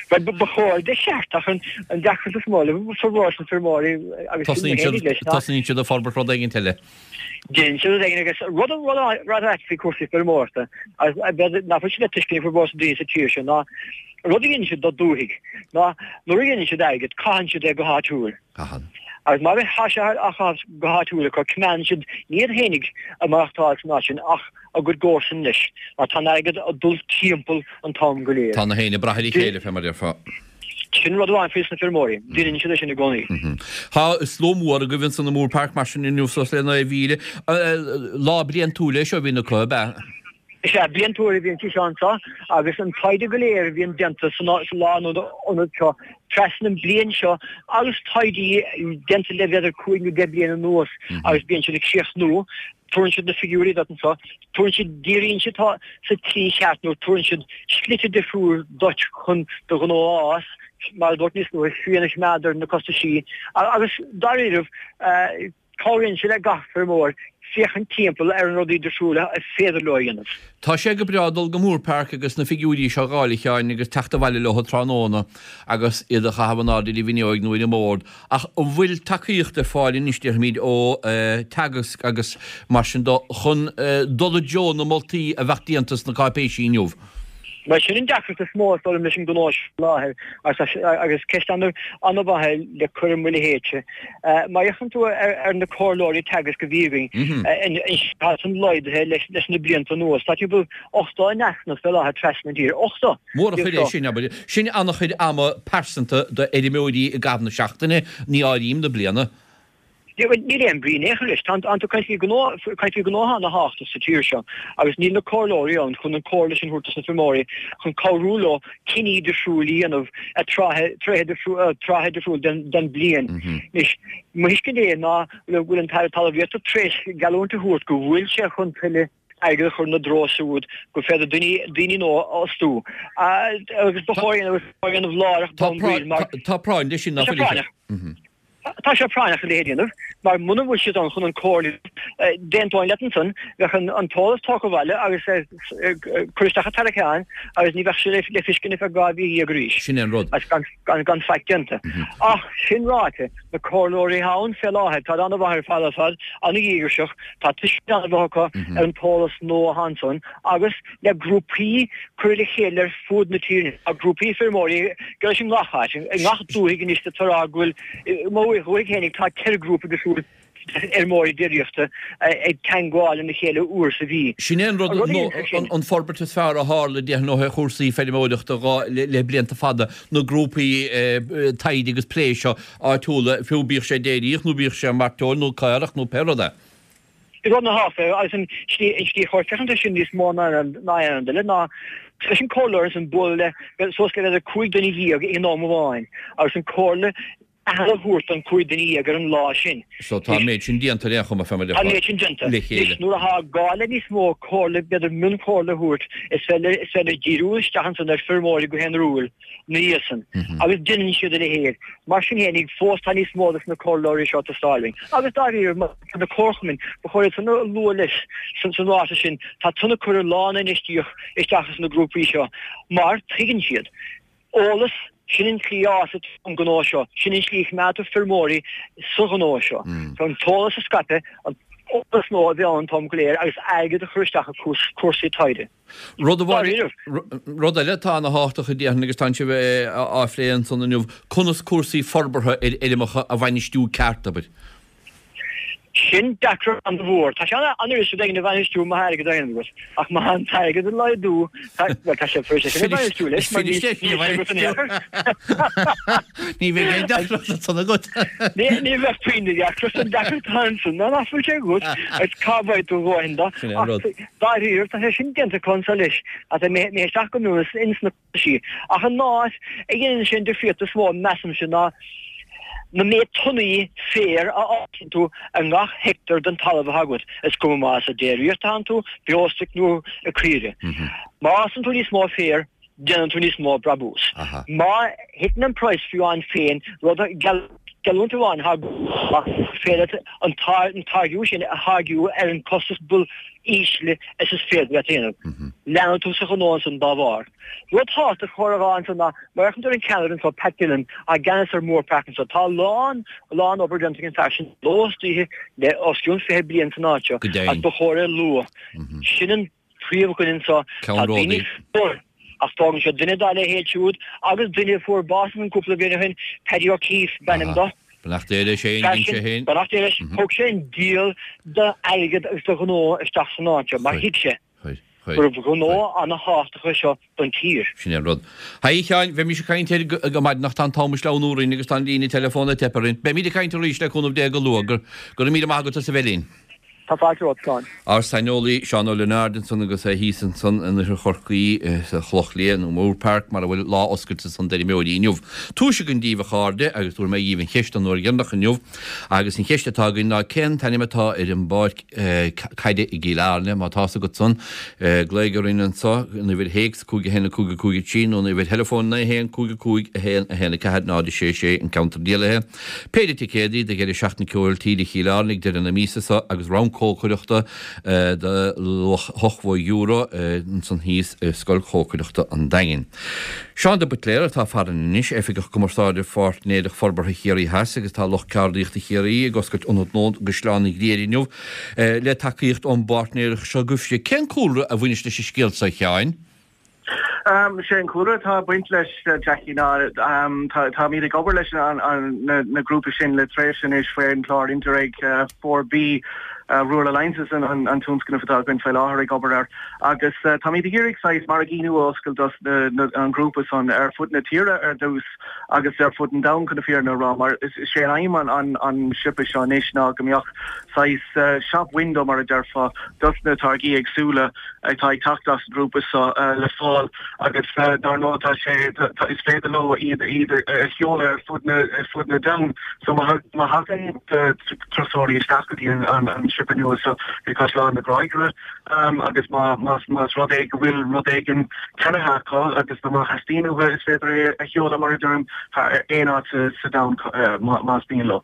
Bhuel, ba chóir de cheart ach an deacracht is mó le formhór na feirmeoirí agus sin mé féinig leis ná. Tosnaíonn siad ag forbairt rud éigint eile. Déanann siad rud éigin agus rud rud ait faoi cúrsaí feirmeoireachta agus nach bhfuil sé le tuiscint ag formhór na daoine sa tír seo ná rud a dhéanann siad dá dúthaigh ná nuair a dhéanann siad airgead caitheann siad é go háitiúil. Caitheann. Agus má tá sé á chaitheamh go háitiúil acu coimeádann siad ní iad fhéinig ag maireachtáil san áit sin ach a gcuid gcomharsan leis mar tá an airgead ag dul timpeall an t-am go léir. Tá na héin ag brath ar a chéile fé mar a déarfá. Sin rud amháin faoi sna feirmeoirí, déanann siad é sin i gcónaí. Tá slua mór agaibh ansan i Moorepark mar sin inniu suas le 9,000. Lá bliantúil é seo a bhíonn acu, ab ea? Is ea, bliantúil a bhíonn sí seo anseo agus an taighde go léir a bhíonn déanta sa lánionad seo trasna an bliain seo agus taighde déanta le b'fhéidir 5 nó 10 bliain anuas agus bíonn siad ag críochnú Tabharann siad na figiúirí duit anseo, tabharann siad, díríonn siad sa tslí cheart nó tabharann siad slite difriúil duit chun do ghnó a fhás, mar a dúirt níos luaithe, srian a choimeád ar na costaisí agus dáiríribh cabhraíonn sé le gach feirmeoir féachaint timpeall ar na rudaí difriúla is féidir leo a dhéanamh. Tá sé go breá dul go Moorepark agus na figiúirí seo a dh'fháil a Sheáin agus teacht abhaile leo tráthnóna agus iad a chaitheamh in airde ar an bhfuinneoig nó ar an mbord Ach an bhfuil tacaíocht ar fáil anois, déarfaimid, ó Teagasc agus mar sin de chun dul i dtreo na moltaí a bheadh déanta sna cáipéisí inniu? Bhuel, sin an deacracht is mó, is dóigh liom, leis an ngnó seo faoi láthair agus ceist an-mhaith é le cur i mo leithéidse. Má fhéachann tú ar na comhairleoirí Teagasc a bhí againn, tá san laghdaithe leis na blianta anuas. Tá timpeall 80 in easnamh fé láthair trasna an tír. 80! Mór an chuid é sin, abair. Sin an-chuid ama pearsanta d'fheirmeoirí i gcaitheamh na seachtaine, ní áirím na bliana. Níl aon brí in aon chor leis. Tá tú ag caint faoi ghnó, caint faoi ghnó atá ana-thábhachtach sa tír seo agus níl na comhairleoirí ann chun an comhairle sin a thabhairt dos na feirmeoirí chun cabhrú leo cinní difriúil a dhéanamh ag tráth, tráth trátha difriúil den, den bliain. Anois, mo thuiscint é ná go bhfuil an tAire Talmhaíochta tar éis geallúint a thabhairt go bhfuil sé chun tuilleadh airgead a chur ina dtreo siúd gur féidir daoine, daoine nua a fhostú. Agus ba chóir a dhéanamh láithreach bonn baill mar. Tá práinn leis sin, nach bhfuil? Tá sé práinneach. Tá sé práinneach a leithéid a dhéanamh, mar muna bhfuil siad ann chun an comhairle, d'aontóinn leat ansan, bheadh an t-eolas tógtha abhaile agus curtha isteach i dtarraiceán agus ní bheadh sé le feiscint ar feadh 12 mhí arís. Sin é an rud. Agus gan faic déanta. Ach sin ráite, na comhairleoirí atá ann fé láthair, táid an-mhaith ar fad ar fad, an-dhíograiseach, tá tuiscint an-mhaith acu ar an t-eolas nua atá ansan agus, le grúpaí curtha le chéile ar fuaid na tíre. Tá grúpaí feirmeoirí geall leis i ngach áit, i ngach dúthaigh anois tá rá go bhfuil, i mo dhúthaigh fhéinig tá 4 grúpa difriúil feirmeoirí déiríochta ag teangmháil lena chéile uair sa mhí. Sin é an rud, an forbairt is fearr a tharla déarfainn ó thaobh chúrsaí feirmeoireachta le blianta fada, na grúpaí taighde agus plé seo áitiúla, fiú bíodh sé déiríoch nó bíodh sé mairteoil nó caorach nó pé rud é. Rud ana-thábhachtach agus an tslí an tslí chóir féachaint air sin níos mó ná aon rud eile ná leis an comhairleoir ansan bualadh le suas le b'fhéidir 15 duine ag an am amháin agus an comhairle aitheanta a thabhairt don 15 duine ar an lá sin. So tá an méid sin déanta ar aon chuma fé mar Tá an méid sin déanta. le chéile. Anois nuair atá gá le níos mó comhairle b'fhéidir mionchomhairle a thabhairt is féidir is féidir díriú isteach ansan ar feirmeoirí go haonarúil ina dhiaidh san agus déanann siad a leithéid. Mar sin fhéinig fós tá níos mó dos na comhairleoirí seo ag teastáil uainn. Agus dáiríre na comharchumainn, ba chóir iad san a lua leis san ráiteas sin, tá san ag cur a lán infheistíocht isteach sna grúpaí seo mar tuigeann siad, eolas, sin an tslí a fhásann an gnó seo, sin an tslí a choimeádtar feirmeoirí sa ghnó seo. An t-eolas a scaipeadh, an t-eolas nua a bheith ann an t-am go léir agus airgead a chur isteach i cúrsaí taighde. Rud amháin, rud eile atá ana-thábhachtach a déarfainn agus tánn sibh á phlé ansan inniu, conas cúrsaí forbartha ar fheirmeacha a bhainistiú ceart, abair. Sin deacracht an-mhór. Tá sé an-fhuirist rud éigin a bhainistiú má tá airgead á dhéanamh agat, ach má tá an t-airgead ag laghdú, bhuel, tá sé fuirist é sin a bhainistiú leis, mar níl sé agat in aon chor. Ní bheidh aon deacracht ansan agat. Ní bheadh puinn de dheacracht, an deacracht atá ansan ná nach bhfuil sé agat, agus cá bhfaighidh tú a dhóthain de. Sin é an rud. Ach dáiríre, tá sé sin déanta acu anso leis, tá mé isteach go mion ins na. sí. Ach an áit a dhéanann sé an difríocht is mó, measaimse, ná na méid tonnaí féir a fhásann tú i ngach heicteár den talamh atá agat, is cuma más ag déiríocht atánn tú, beostoic nó ag caoirigh. Má fhásann tú níos mó féir, déanann tú níos mó brabús. Má thiteann an praghas fiú amháin féin, rud a geallúint amháin atá gur féidir leat an táirgiú sin a tháirgiú ar an costas ba ísle is is féidir leat a dhéanamh. Leanann tú sa ghnó ansan dá bharr. Rud tábhachtach chóir a rá ansan ná, má fhéachann tú ar an ceannaire anso, Pat Dillon, atá i gceannas ar Moorepark anso, tá a lán, a lán obair déanta ag an fear sin ló is oíche le os cionn 20 bliain san áit seo agus ba chóir é a lua. Sin an príomhdhuine anso. Tá daoine fíor ach fágann siad duine dá leithéid siúd agus duine a fuair bás ansan cúpla bliain ó shin, Paddy O'Keefe b'ainm dó. Beannacht Dé leis féin, dhein sé féin. Beannacht Dé leis. Thug sé an diabhal d'airgead agus de ghnó isteach san áit seo mar thuig sé gurbh ghnó ana-thábhachtach é seo don tír. Sin é an rud. Haigh a Sheáin, bheimis ag caint air go maidin ach tá an t-am ag sleamhnú orainn agus tá an líne teileafóin ag teip orainn. Beimid ag caint arís le cúnamh Dé go luath. Go raibh míle maith agat as a bheith linn. Tá fáilte romhat, Slán. Ár saineolaí, Seán Ó Lionáird ansan agus é thíos ansan in oirthear Chorcaí sa Chloch Liath, nó Moorepark, mar a bhfuil lá oscailte ansan d'fheirmeoirí inniu. Tomhais againn díbh a chairde agus tabharfaidh mé dhíbh an cheist an uair dheireanach inniu agus an cheist atá againn ná cén t-ainm atá ar an bpáirc caide i gCill Airne? Má tá's agat san, glaoigh orainn anso, an uimhir théacs, 5 1 5 5 3 nó an uimhir theileafóin 9 1 5 5 1 1 4 0 6 6 an ceantar dialaithe. Péire ticéadaí do dheireadh seachtaine ceoil tíre Chill Airne ag deireadh na míosa seo agus round cócaireachta de luach €80 ansan thíos i Scoil Chócaireachta an Daingin. Seán de Buitléar atá farainn anois, Oifigeach Cumarsáide Pháirtnéireacht Forbartha Chiarraí Theas agus tá lucht ceardaíochta Chiarraí ag oscailt ionad nua i gCaisleán an Ghriaire inniu le tacaíocht ón bpáirtnéireacht seo agaibhse. Cén cúlra a bhaineas leis an scéal seo a Sheáin? Sé an cúlra atá ag baint leis, Jackie, ná táimid ag obair leis na grúpa sin le tréimhse anois faoin chlár Interreg 4B, Rural Alliances an tionscnamh atá againn faoi láthair ag obair air agus táimid ag iarraidh saghas margaí nua a oscailt dos an grúpa san ar fud na tíre ar dtús agus ar fud an domhain chun na fírinne a rá mar is é an aidhm an siopa seo anois ná go mbeadh saghas shop window mar a déarfá dos na táirgí éagsúla atá ag teacht as an ngrúpa seo le fáil agus dar ndóigh tá sé is féidir leo iad iad a sheoladh ar fud na ar fud na domhan. So má má thagann turasóirí isteach go dtí an an siopa nua seo i gCaisleán na Gráige agus má más más rud é go bhfuil rud éigin ceannaithe acu agus má theastaíonn uathu is féidir é a sheoladh mar a deirim thar aon áit sa sa domhan más mian leo.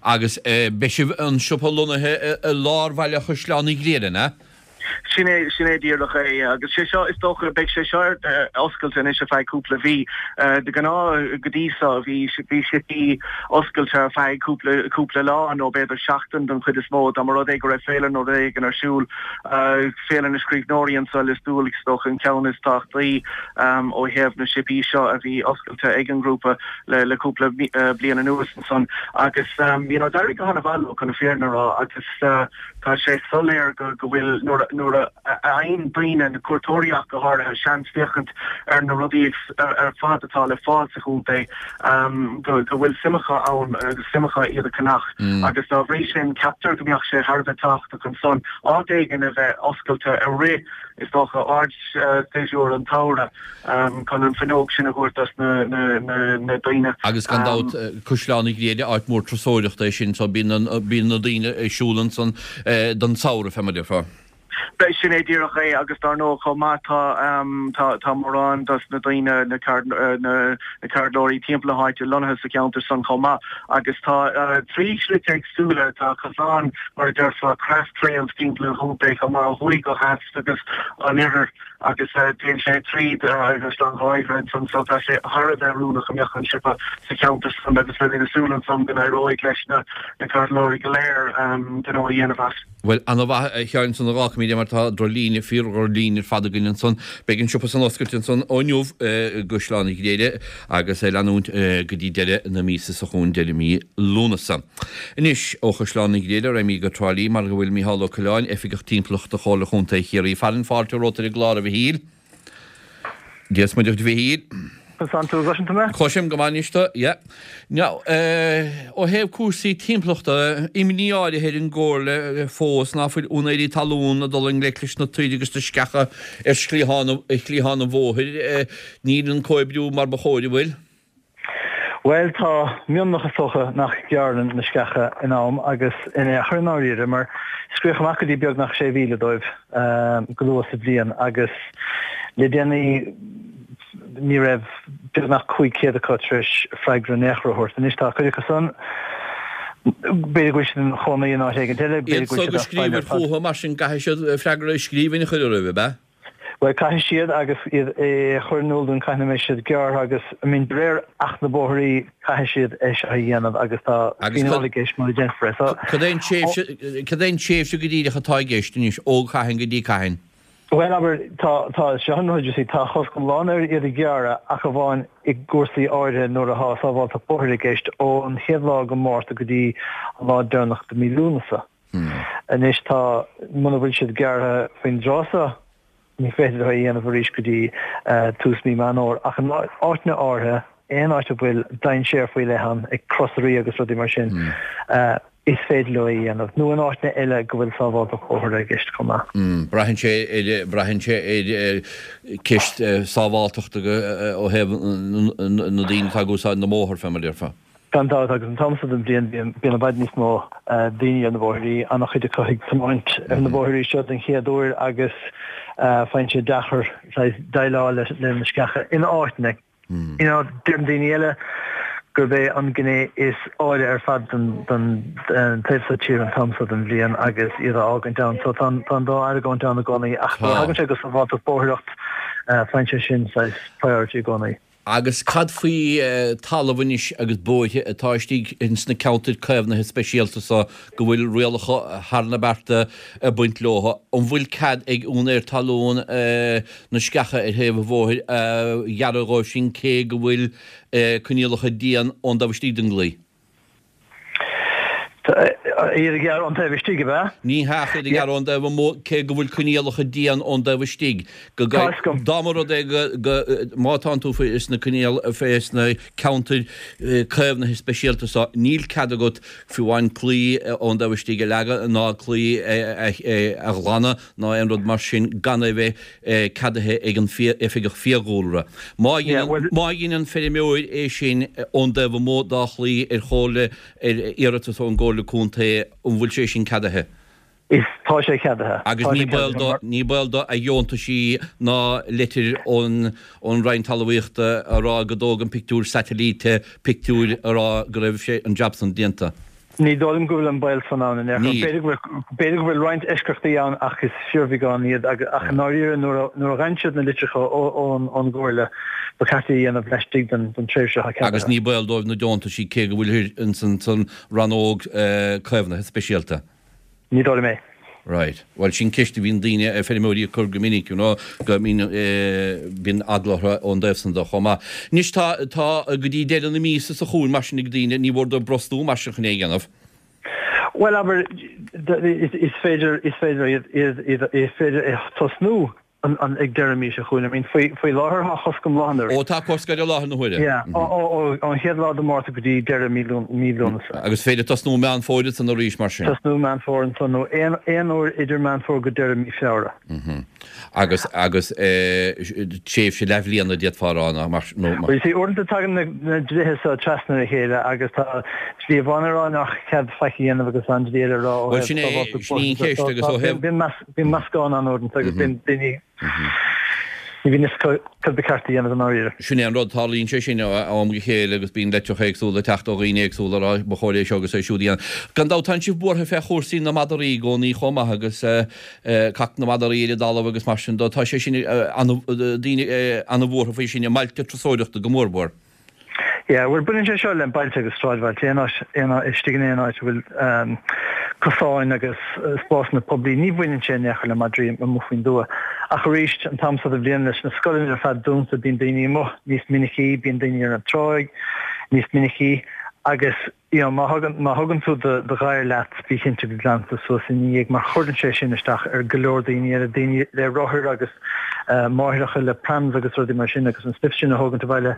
Agus beidh sibh, an siopa lonnaithe i lár bhaile Chaisleán an Ghriaire, an ea? Sin é, sin é díreach é. Agus sé seo, is dócha, beidh sé seo ar oscailt anois ar feadh cúpla mhí. De ghnáth, go dtí seo, bhí, bhí siopaí oscailte ar feadh cúpla, cúpla lá nó b'fhéidir seachtain don chuid is mó, dá mba rud é go raibh féile nó rud éigin ar siúl. Féile na Scríbhneoirí anso i Lios Tuathail, is dócha, an ceann is tábhachtaí ó thaobh na siopaí seo a bhí oscailte ag an ngrúpa le, le cúpla bliain anuas. ansan agus you know d'éirigh go han-mhaith leo chun na fírinne a rá agus tá sé soiléir go go bhfuil nuair a nuair a fhaigheann daoine, na cuairteoirí ach go háirithe, seans féachaint ar na rudaí ar fad atá le fáil sa chontae go go bhfuil suim acu ann agus suim acu iad a cheannach agus dá bhrí sin ceaptar go mbeadh sé thar a bheith tábhachtach ansan áit éigin a bheith oscailte i rith is dócha ardséasúr an tsamhraidh. chun an fuinneog sin a thabhairt dos na daoine. Agus gan dabht, Caisleán an Ghriaire, áit mhór turasóireachta é sin, so bíonn na daoine ag siúl ansan don samhradh, fé mar a déarfá. Sin é díreach é, agus dar ndóigh chomh maith tá tá mórán dos na daoine, na ceardlóirí timpeall na háite lonnaithe sa cheantar san chomh maith, agus tá trí shlite éagsúla, tá cosán mar a déarfá, craft trails timpeall an chontae chomh maith ó thuaidh go theas agus an oirthear. agus téann sé tríd Caisleán an Ghriaire ansan so tá sé thar a bheith oiriúnach go mbeadh an siopa sa cheantar san agus beimid ag súil ansan go n-éireoidh leis na ceardlóirí go léir gnó a dhéanamh as. Bhuel, ana-mhaith a Sheáin ansan a dh'fhágfaimid é mar tá drochlíne, fíor-dhrochlíne ar fad againn ansan. Beidh an siopa san oscailte ansan ó inniu i gCaisleán an Ghriaire agus ag leanúint go dtí deireadh na míosa seo chugainn, deireadh mí Lúnasa. Anois, ó Chaisleán an Ghriaire, raghaimid go Trá Lí mar go bhfuil Micheál Ó Coileáin, Oifigeach Timpeallachta Chomhairle Chontae Chiarraí. Fearann fáilte romhat ar an gclár, a Mhichíl. Dia is Muire duit, a Mhichíl. Conas tánn tú, an gcloiseann tú mé? Cloisim go maith anois tú, yeah. Now, ó thaobh cúrsaí timpeallachta, imní áirithe ar an gComhairle fós ná fuil úinéirí talún ag dul i ngleic leis na toir agus na sceacha ar shliathán an bhóthair. Níl an comhoibriú mar ba chóir, an bhfuil? Bhuel, tá mionlach is dócha nach ngearrann na sceacha in am agus in aon chor i ndáiríre, mar scríobhadh amach go dtí beagnach 6,000 dóibh go luath sa bhliain agus le déanaí ní raibh beagnach 500 acu tar éis freagra in aon chor a thabhairt. Anois tá cuid acu san, b'fhéidir go bhfuil siad ina chónaí in áit éigin eile, b'fhéidir go bhfuil siad as baile ar fad. Iad so go scríobhair chucu mar sin, caithfidh siad freagra i scríbhinn a chur oraibh, ab ea? Bhuel, caithfidh siad agus iad a chur in iúl dúinn cathain a mbeidh siad gearrtha agus, I mean, de réir Acht na Bóithrí, caithfidh siad é seo a dhéanamh agus tá fíneáil i gceist mura déanfar é. So, Cad é an tréimhse, cad é an tréimhse go díreach atá i gceist anois, ó cathain go dtí cathain? Bhuel, abair, tá, tá, seo an rud, you see, tá cosc iomlán ar iad a ghearradh ach amháin i gcúrsaí áirithe nuair atá sábháilteacht bóthair i gceist, ón chéad lá de Mhárta go dtí an lá deireanach de mí Lúnasa. Anois tá, muna bhfuil siad gearrtha faoin dtráth seo, ní féidir leo é a dhéanamh arís go dtí tús mí Meán Fhómhair. Ach in áiteanna áirithe, aon áit a bhfuil dainséar faoi leith ann, ag crosairí agus rudaí mar sin, is féidir leo é a dhéanamh. Nó in áiteanna eile go bhfuil sábháilteacht bóthair i gceist chomh maith. Braitheann sé ar, braitheann sé ar ceist sábháilteachta ó thaobh na daoine atá ag úsáid na mbóthar, fé mar a déarfá. Gan dabht, agus an t-am seo den bhliain bíonn i bhfad níos mó daoine ar na bóithrí, an-chuid acu ag tiomáint ar na bóithrí seo den chéad uair agus faigheann sé deacair saghas déileáil leis na sceacha in áiteanna. You know, deireann daoine eile gurb é an gné is áille ar fad den taobh seo tíre an t-am seo den bhliain agus iad a fhágaint ann. So tá an dá argóint ann i gcónaí ach nuair a thagann sé go sábháilteacht bóithreacht, faigheann sé sin saghas priority i gcónaí. Agus cad faoi talamh anois agus bóithre atá istigh ins na ceantair caomhnaithe speisialta so go bhfuil rialacha thar na bearta ag baint leo? An bhfuil cead ag úinéir talún na sceacha ar thaobh an bhóthair a ghearradh dhóibh sin cé go bhfuil coinníollacha dian ón dtaobh istigh den gclaí? Iad a ghearradh ón taobh istigh, ab ea? Ní hea, ach iad a ghearradh ón dtaobh amuigh, cé go bhfuil coinníollacha dian ón dtaobh istigh. Go Tá fhios agam. Dá mba rud é go, go, má tánn tú faoi sna coinníoll, fé sna ceantair caomhnaithe speisialta so, níl cead agat fiú amháin claí ón dtaobh istigh a leagadh ná claí a, a ghlanadh ná aon rud mar sin gan é bheith ceadaithe ag an Oifigeach Fiadhúlra. Má dhein an feirmeoir é sin ón dtaobh amuigh dá chlaí ar chomhairle, ar iarratas ón gComhairle Contae, an bhfuil sé sin ceadaithe? Is, tá sé ceadaithe. Agus ní baol do, ní baol do a dheontaisí ná leitir ón ón Roinn Talmhaíochta a rá go dtóg an pictiúr satailíte pictiúir a rá go raibh sé an jab san déanta. Ní dóigh liom go bhfuil an baol san ann in aon chor. B'fhéidir go bhfuil, b'fhéidir go bhfuil roinnt eisceachtaí ann ach is fíorbheagán iad ach i ndáiríre nuair a, nuair a fhaigheann siad na litreacha ón, ón gComhairle ba cheart é a dhéanamh laistigh den, den tréimhse atá ceadaithe. Agus ní baol dóibh na deontaisí cé go bhfuilthir ins an, san rannóg caomhnaithe speisialta. Ní dóigh liom é. Right. Bhuel, sin ceist a bhíonn daoine, feirmeoirí ag cur go minic, you know, go mbíonn, bíonn eagla orthu ón dtaobh san de chomh maith. Anois tá, tá go dtí deireadh na míosa seo chugainn mar sin ag daoine, ní mhór dóibh brostú mar sin chun é a dhéanamh. Bhuel, abair, is féidir, is féidir iad, iad, iad, is féidir é tosnú an ag deireadh mí seo chugainn. I mean, faoi, faoi láthair tá cosc iomlán air. Ó, tá cosc air i láthair na huaire. Yeah, ó, ó, ó, ón chéad lá de Mhárta go dtí deireadh mí Lún, mí Lúnasa. Agus féidir tosnú Meán Fómhair ansan arís, mar sin. Tosnú Meán Fómhair ansan, nó aon, aon uair idir Meán Fómhair go deireadh mí Feabhra. Mm-hmm. Agus, agus eh, tréimhse leathbhliana d'fhéadfá a rá, nó mar, nó mar. Well, you see, uaireanta tagann na, na dlíthe seo trasna ar a chéile agus tá dlí amháin ag rá nach cead faic a dhéanamh agus tá an dlí eile ag rá ó Bhuel, sin é, sin í an cheist agus ó thaobh. Bíonn meas, Bíonn meascán ann uaireanta agus bíonn daoine, ní bhíonn fhios acu cad ba cheart a dhéanamh i ndáiríre. Sin é an rud, tarlaíonn sé sin ó am go chéile agus bíonn litreacha éagsúla ag teacht ó dhaoine éagsúla ag rá ba chóir é seo agus é siúd a dhéanamh. Gan dabht tánn sibh buartha fé chúrsaí na madraí i gcónaí chomh maith agus cac na madraí ar an dtalamh agus mar sin de. Tá sé sin ana, daoine ana-bhuartha faoi sin i mbailte turasóireachta go mórmhór. Yeah, bhuel baineann sé seo le bailte agus sráidbhailte, aon áit, aon áit, istigh in aon áit a bhfuil cosáin agus spásanna poiblí, ní bhaineann sé in aon chor le madraí amuigh faoin dtuath. Ach arís, an t-am seo de bhliain leis na scoileanna ar fad dúnta, bíonn daoine amuigh níos minicí, bíonn daoine ar an tráigh níos minicí agus you know, má thugann, má thugann tú do, do ghadhar leat, bí cinnte go nglanann tú suas ina dhiaidh mar chuireann sé sin isteach ar go leor daoine eile, daoine le rothair agus máithreacha le prams agus rudaí mar sin agus an stuif sin a thógaint abhaile,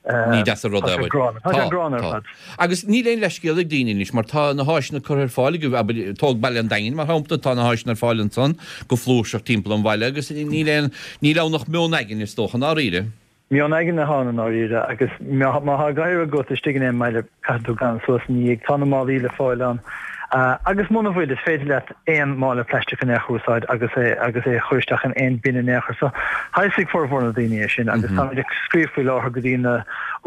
Ní deas an rud é, tá sé gránna. Tá sé gránna ar fad. Agus níl aon leithscéal ag daoine anois mar tá na háiseanna curtha ar fáil agaibh, abair, tóg Baile an Daingin mar shampla, tá na háiseanna ar fáil ansan go flúirseach timpeall an bhaile agus níl aon, níl ann ach meon aigne is dócha, i ndáiríre. Meon aigne atá ann i ndáiríre agus má tá gadhar agat istigh in aon mbaile caithfidh tú glanadh suas ina dhiaidh. Tá na málaí le fáil ann agus muna bhfuil is féidir leat aon mála plaisteach in aon chor a úsáid agus é agus é a chur isteach in aon bin in aon chor. So tá a fhios ag formhór na daoine é sin agus táimid ag scríobh faoi láthair go dtí na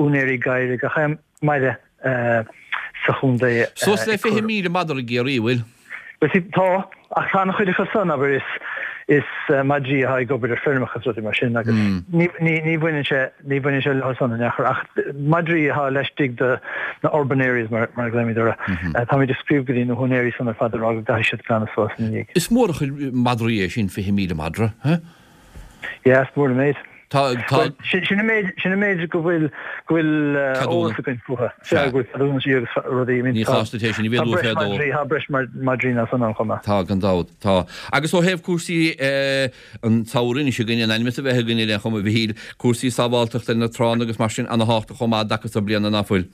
úinéirí gadhair i gach aon mbaile sa chontae. Suas le 20,000 madra i gCiarraí, an bhfuil? Bhuel, see, tá, ach tá an-chuid acu san, abair, is, is madraí atá ag obair ar feirmeacha is rudaí mar sin agus ní, ní, ní bhaineann sé, ní bhaineann sé leo san in aon chor ach madraí atá laistigh de na urban areas mar, mar a ghlaoimid orthu, táimid ag scríobh go dtí na húinéirí san ar fad ag rá go gcaithfidh siad glanadh suas ina dhiaidh. Is mór an chuid madraí é sin, 20,000 madra, huh? Yeah, is mór an méid. Tá, tá. Sin an méid, sin an méid go bhfuil, go bhfuil eolas againn fúthu. Sea, go bhfuil ceadúnaisí agus rudaí. I mean, Ní chás duit é sin a mhéadú tá breis madraí, tá breis madraí ná san ann chomh maith. Tá, gan dabht, tá. Agus ó thaobh cúrsaí an tsamhraidh anois againn, in ainm is a bheith againn ar aon chuma, a Mhichíl, cúrsaí sábháilteachta ar na tránna agus mar sin, ana-thábhachtach chomh maith i dtaca so bliana, ná fuil?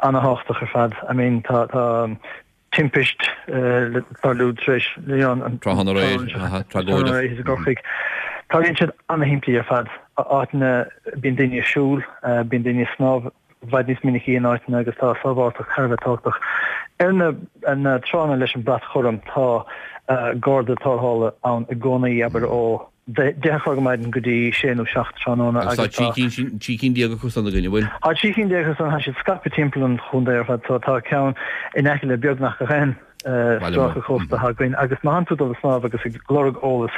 Ana-thábhachtach ar fad. I mean, tá, tá. timpist le tarlú tar éis an Tráthnóna aréir, tragóideach. i gCorcaigh. Tarlaíonn siad ana-shimplí ar fad. Áiteanna, bíonn daoine ag siúl, bíonn daoine ag snámh i bhfad níos minicí in áiteanna agus tá sábháilteacht thar a bheith tábhachtach. Ar na tránna leis an brat chorm tá garda tarrthála ann i gcónaí, abair ó 10 a chlog ar maidin go dtí sé nó 7 tráthnóna Agus tá agus tá 13 cinn acu san againn, an bhfuil? Tá 13 cinn acu san, tá siad scaipthe timpeall an chontae ar fad, so tá ceann in aice le beagnach gach aon stráice cósta atá againn agus má thánn tú ag dul ag snámh agus ag lorg eolas,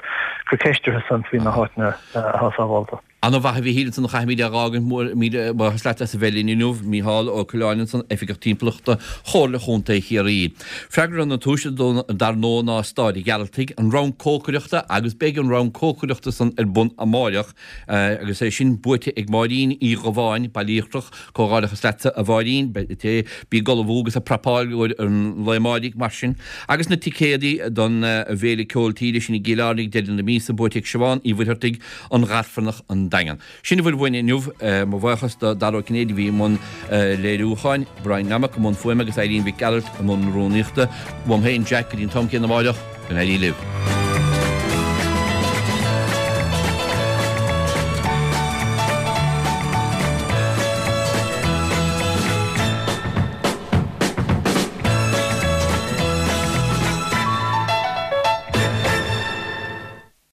cuir ceist orthu san faoi na háiteanna atá sábhálta. Ana mhaith a Mhichíl ansan a chaithfimid é dh'fhágaint, míle buíochas leat as a bheith linn inniu, Mícheál Ó Coileáin ansan, Oifigeach Timpeallachta Chomhairle Chontae Chiarraí. Freagra na tomhaiste dar ndóigh ná Staid an Ghearaltaigh, an round cócaireachta agus beidh an round cócaireachta san ar bun amáireach agus é sin buaite ag Máirín Uí Dhubháin, Baile Íochtarach, Comhghairdeachas leatsa a Mháirín, bí ag ullmhú agus ag prapáil i gcomhair an lae amáirigh mar sin. Agus na ticéadaí don bhFéile Ceol Tíre sin i gCill Airne ag deireadh na míosa buaite ag Siobhán Uí Mhuircheartaigh, An Ghairfearnach, An Daingean. Sin a bhfuil uainn inniu. Mo bhuíochas do Dara Ó Cinnéide a bhí i mbun léiriúcháin, Brian Nammock i mbun fuaime agus Eileen Mhic Gearailt i mbun rúnaíochta. Uaim féin, Jack, go dtí an t-am céanna amáireach, go n-éirí libh.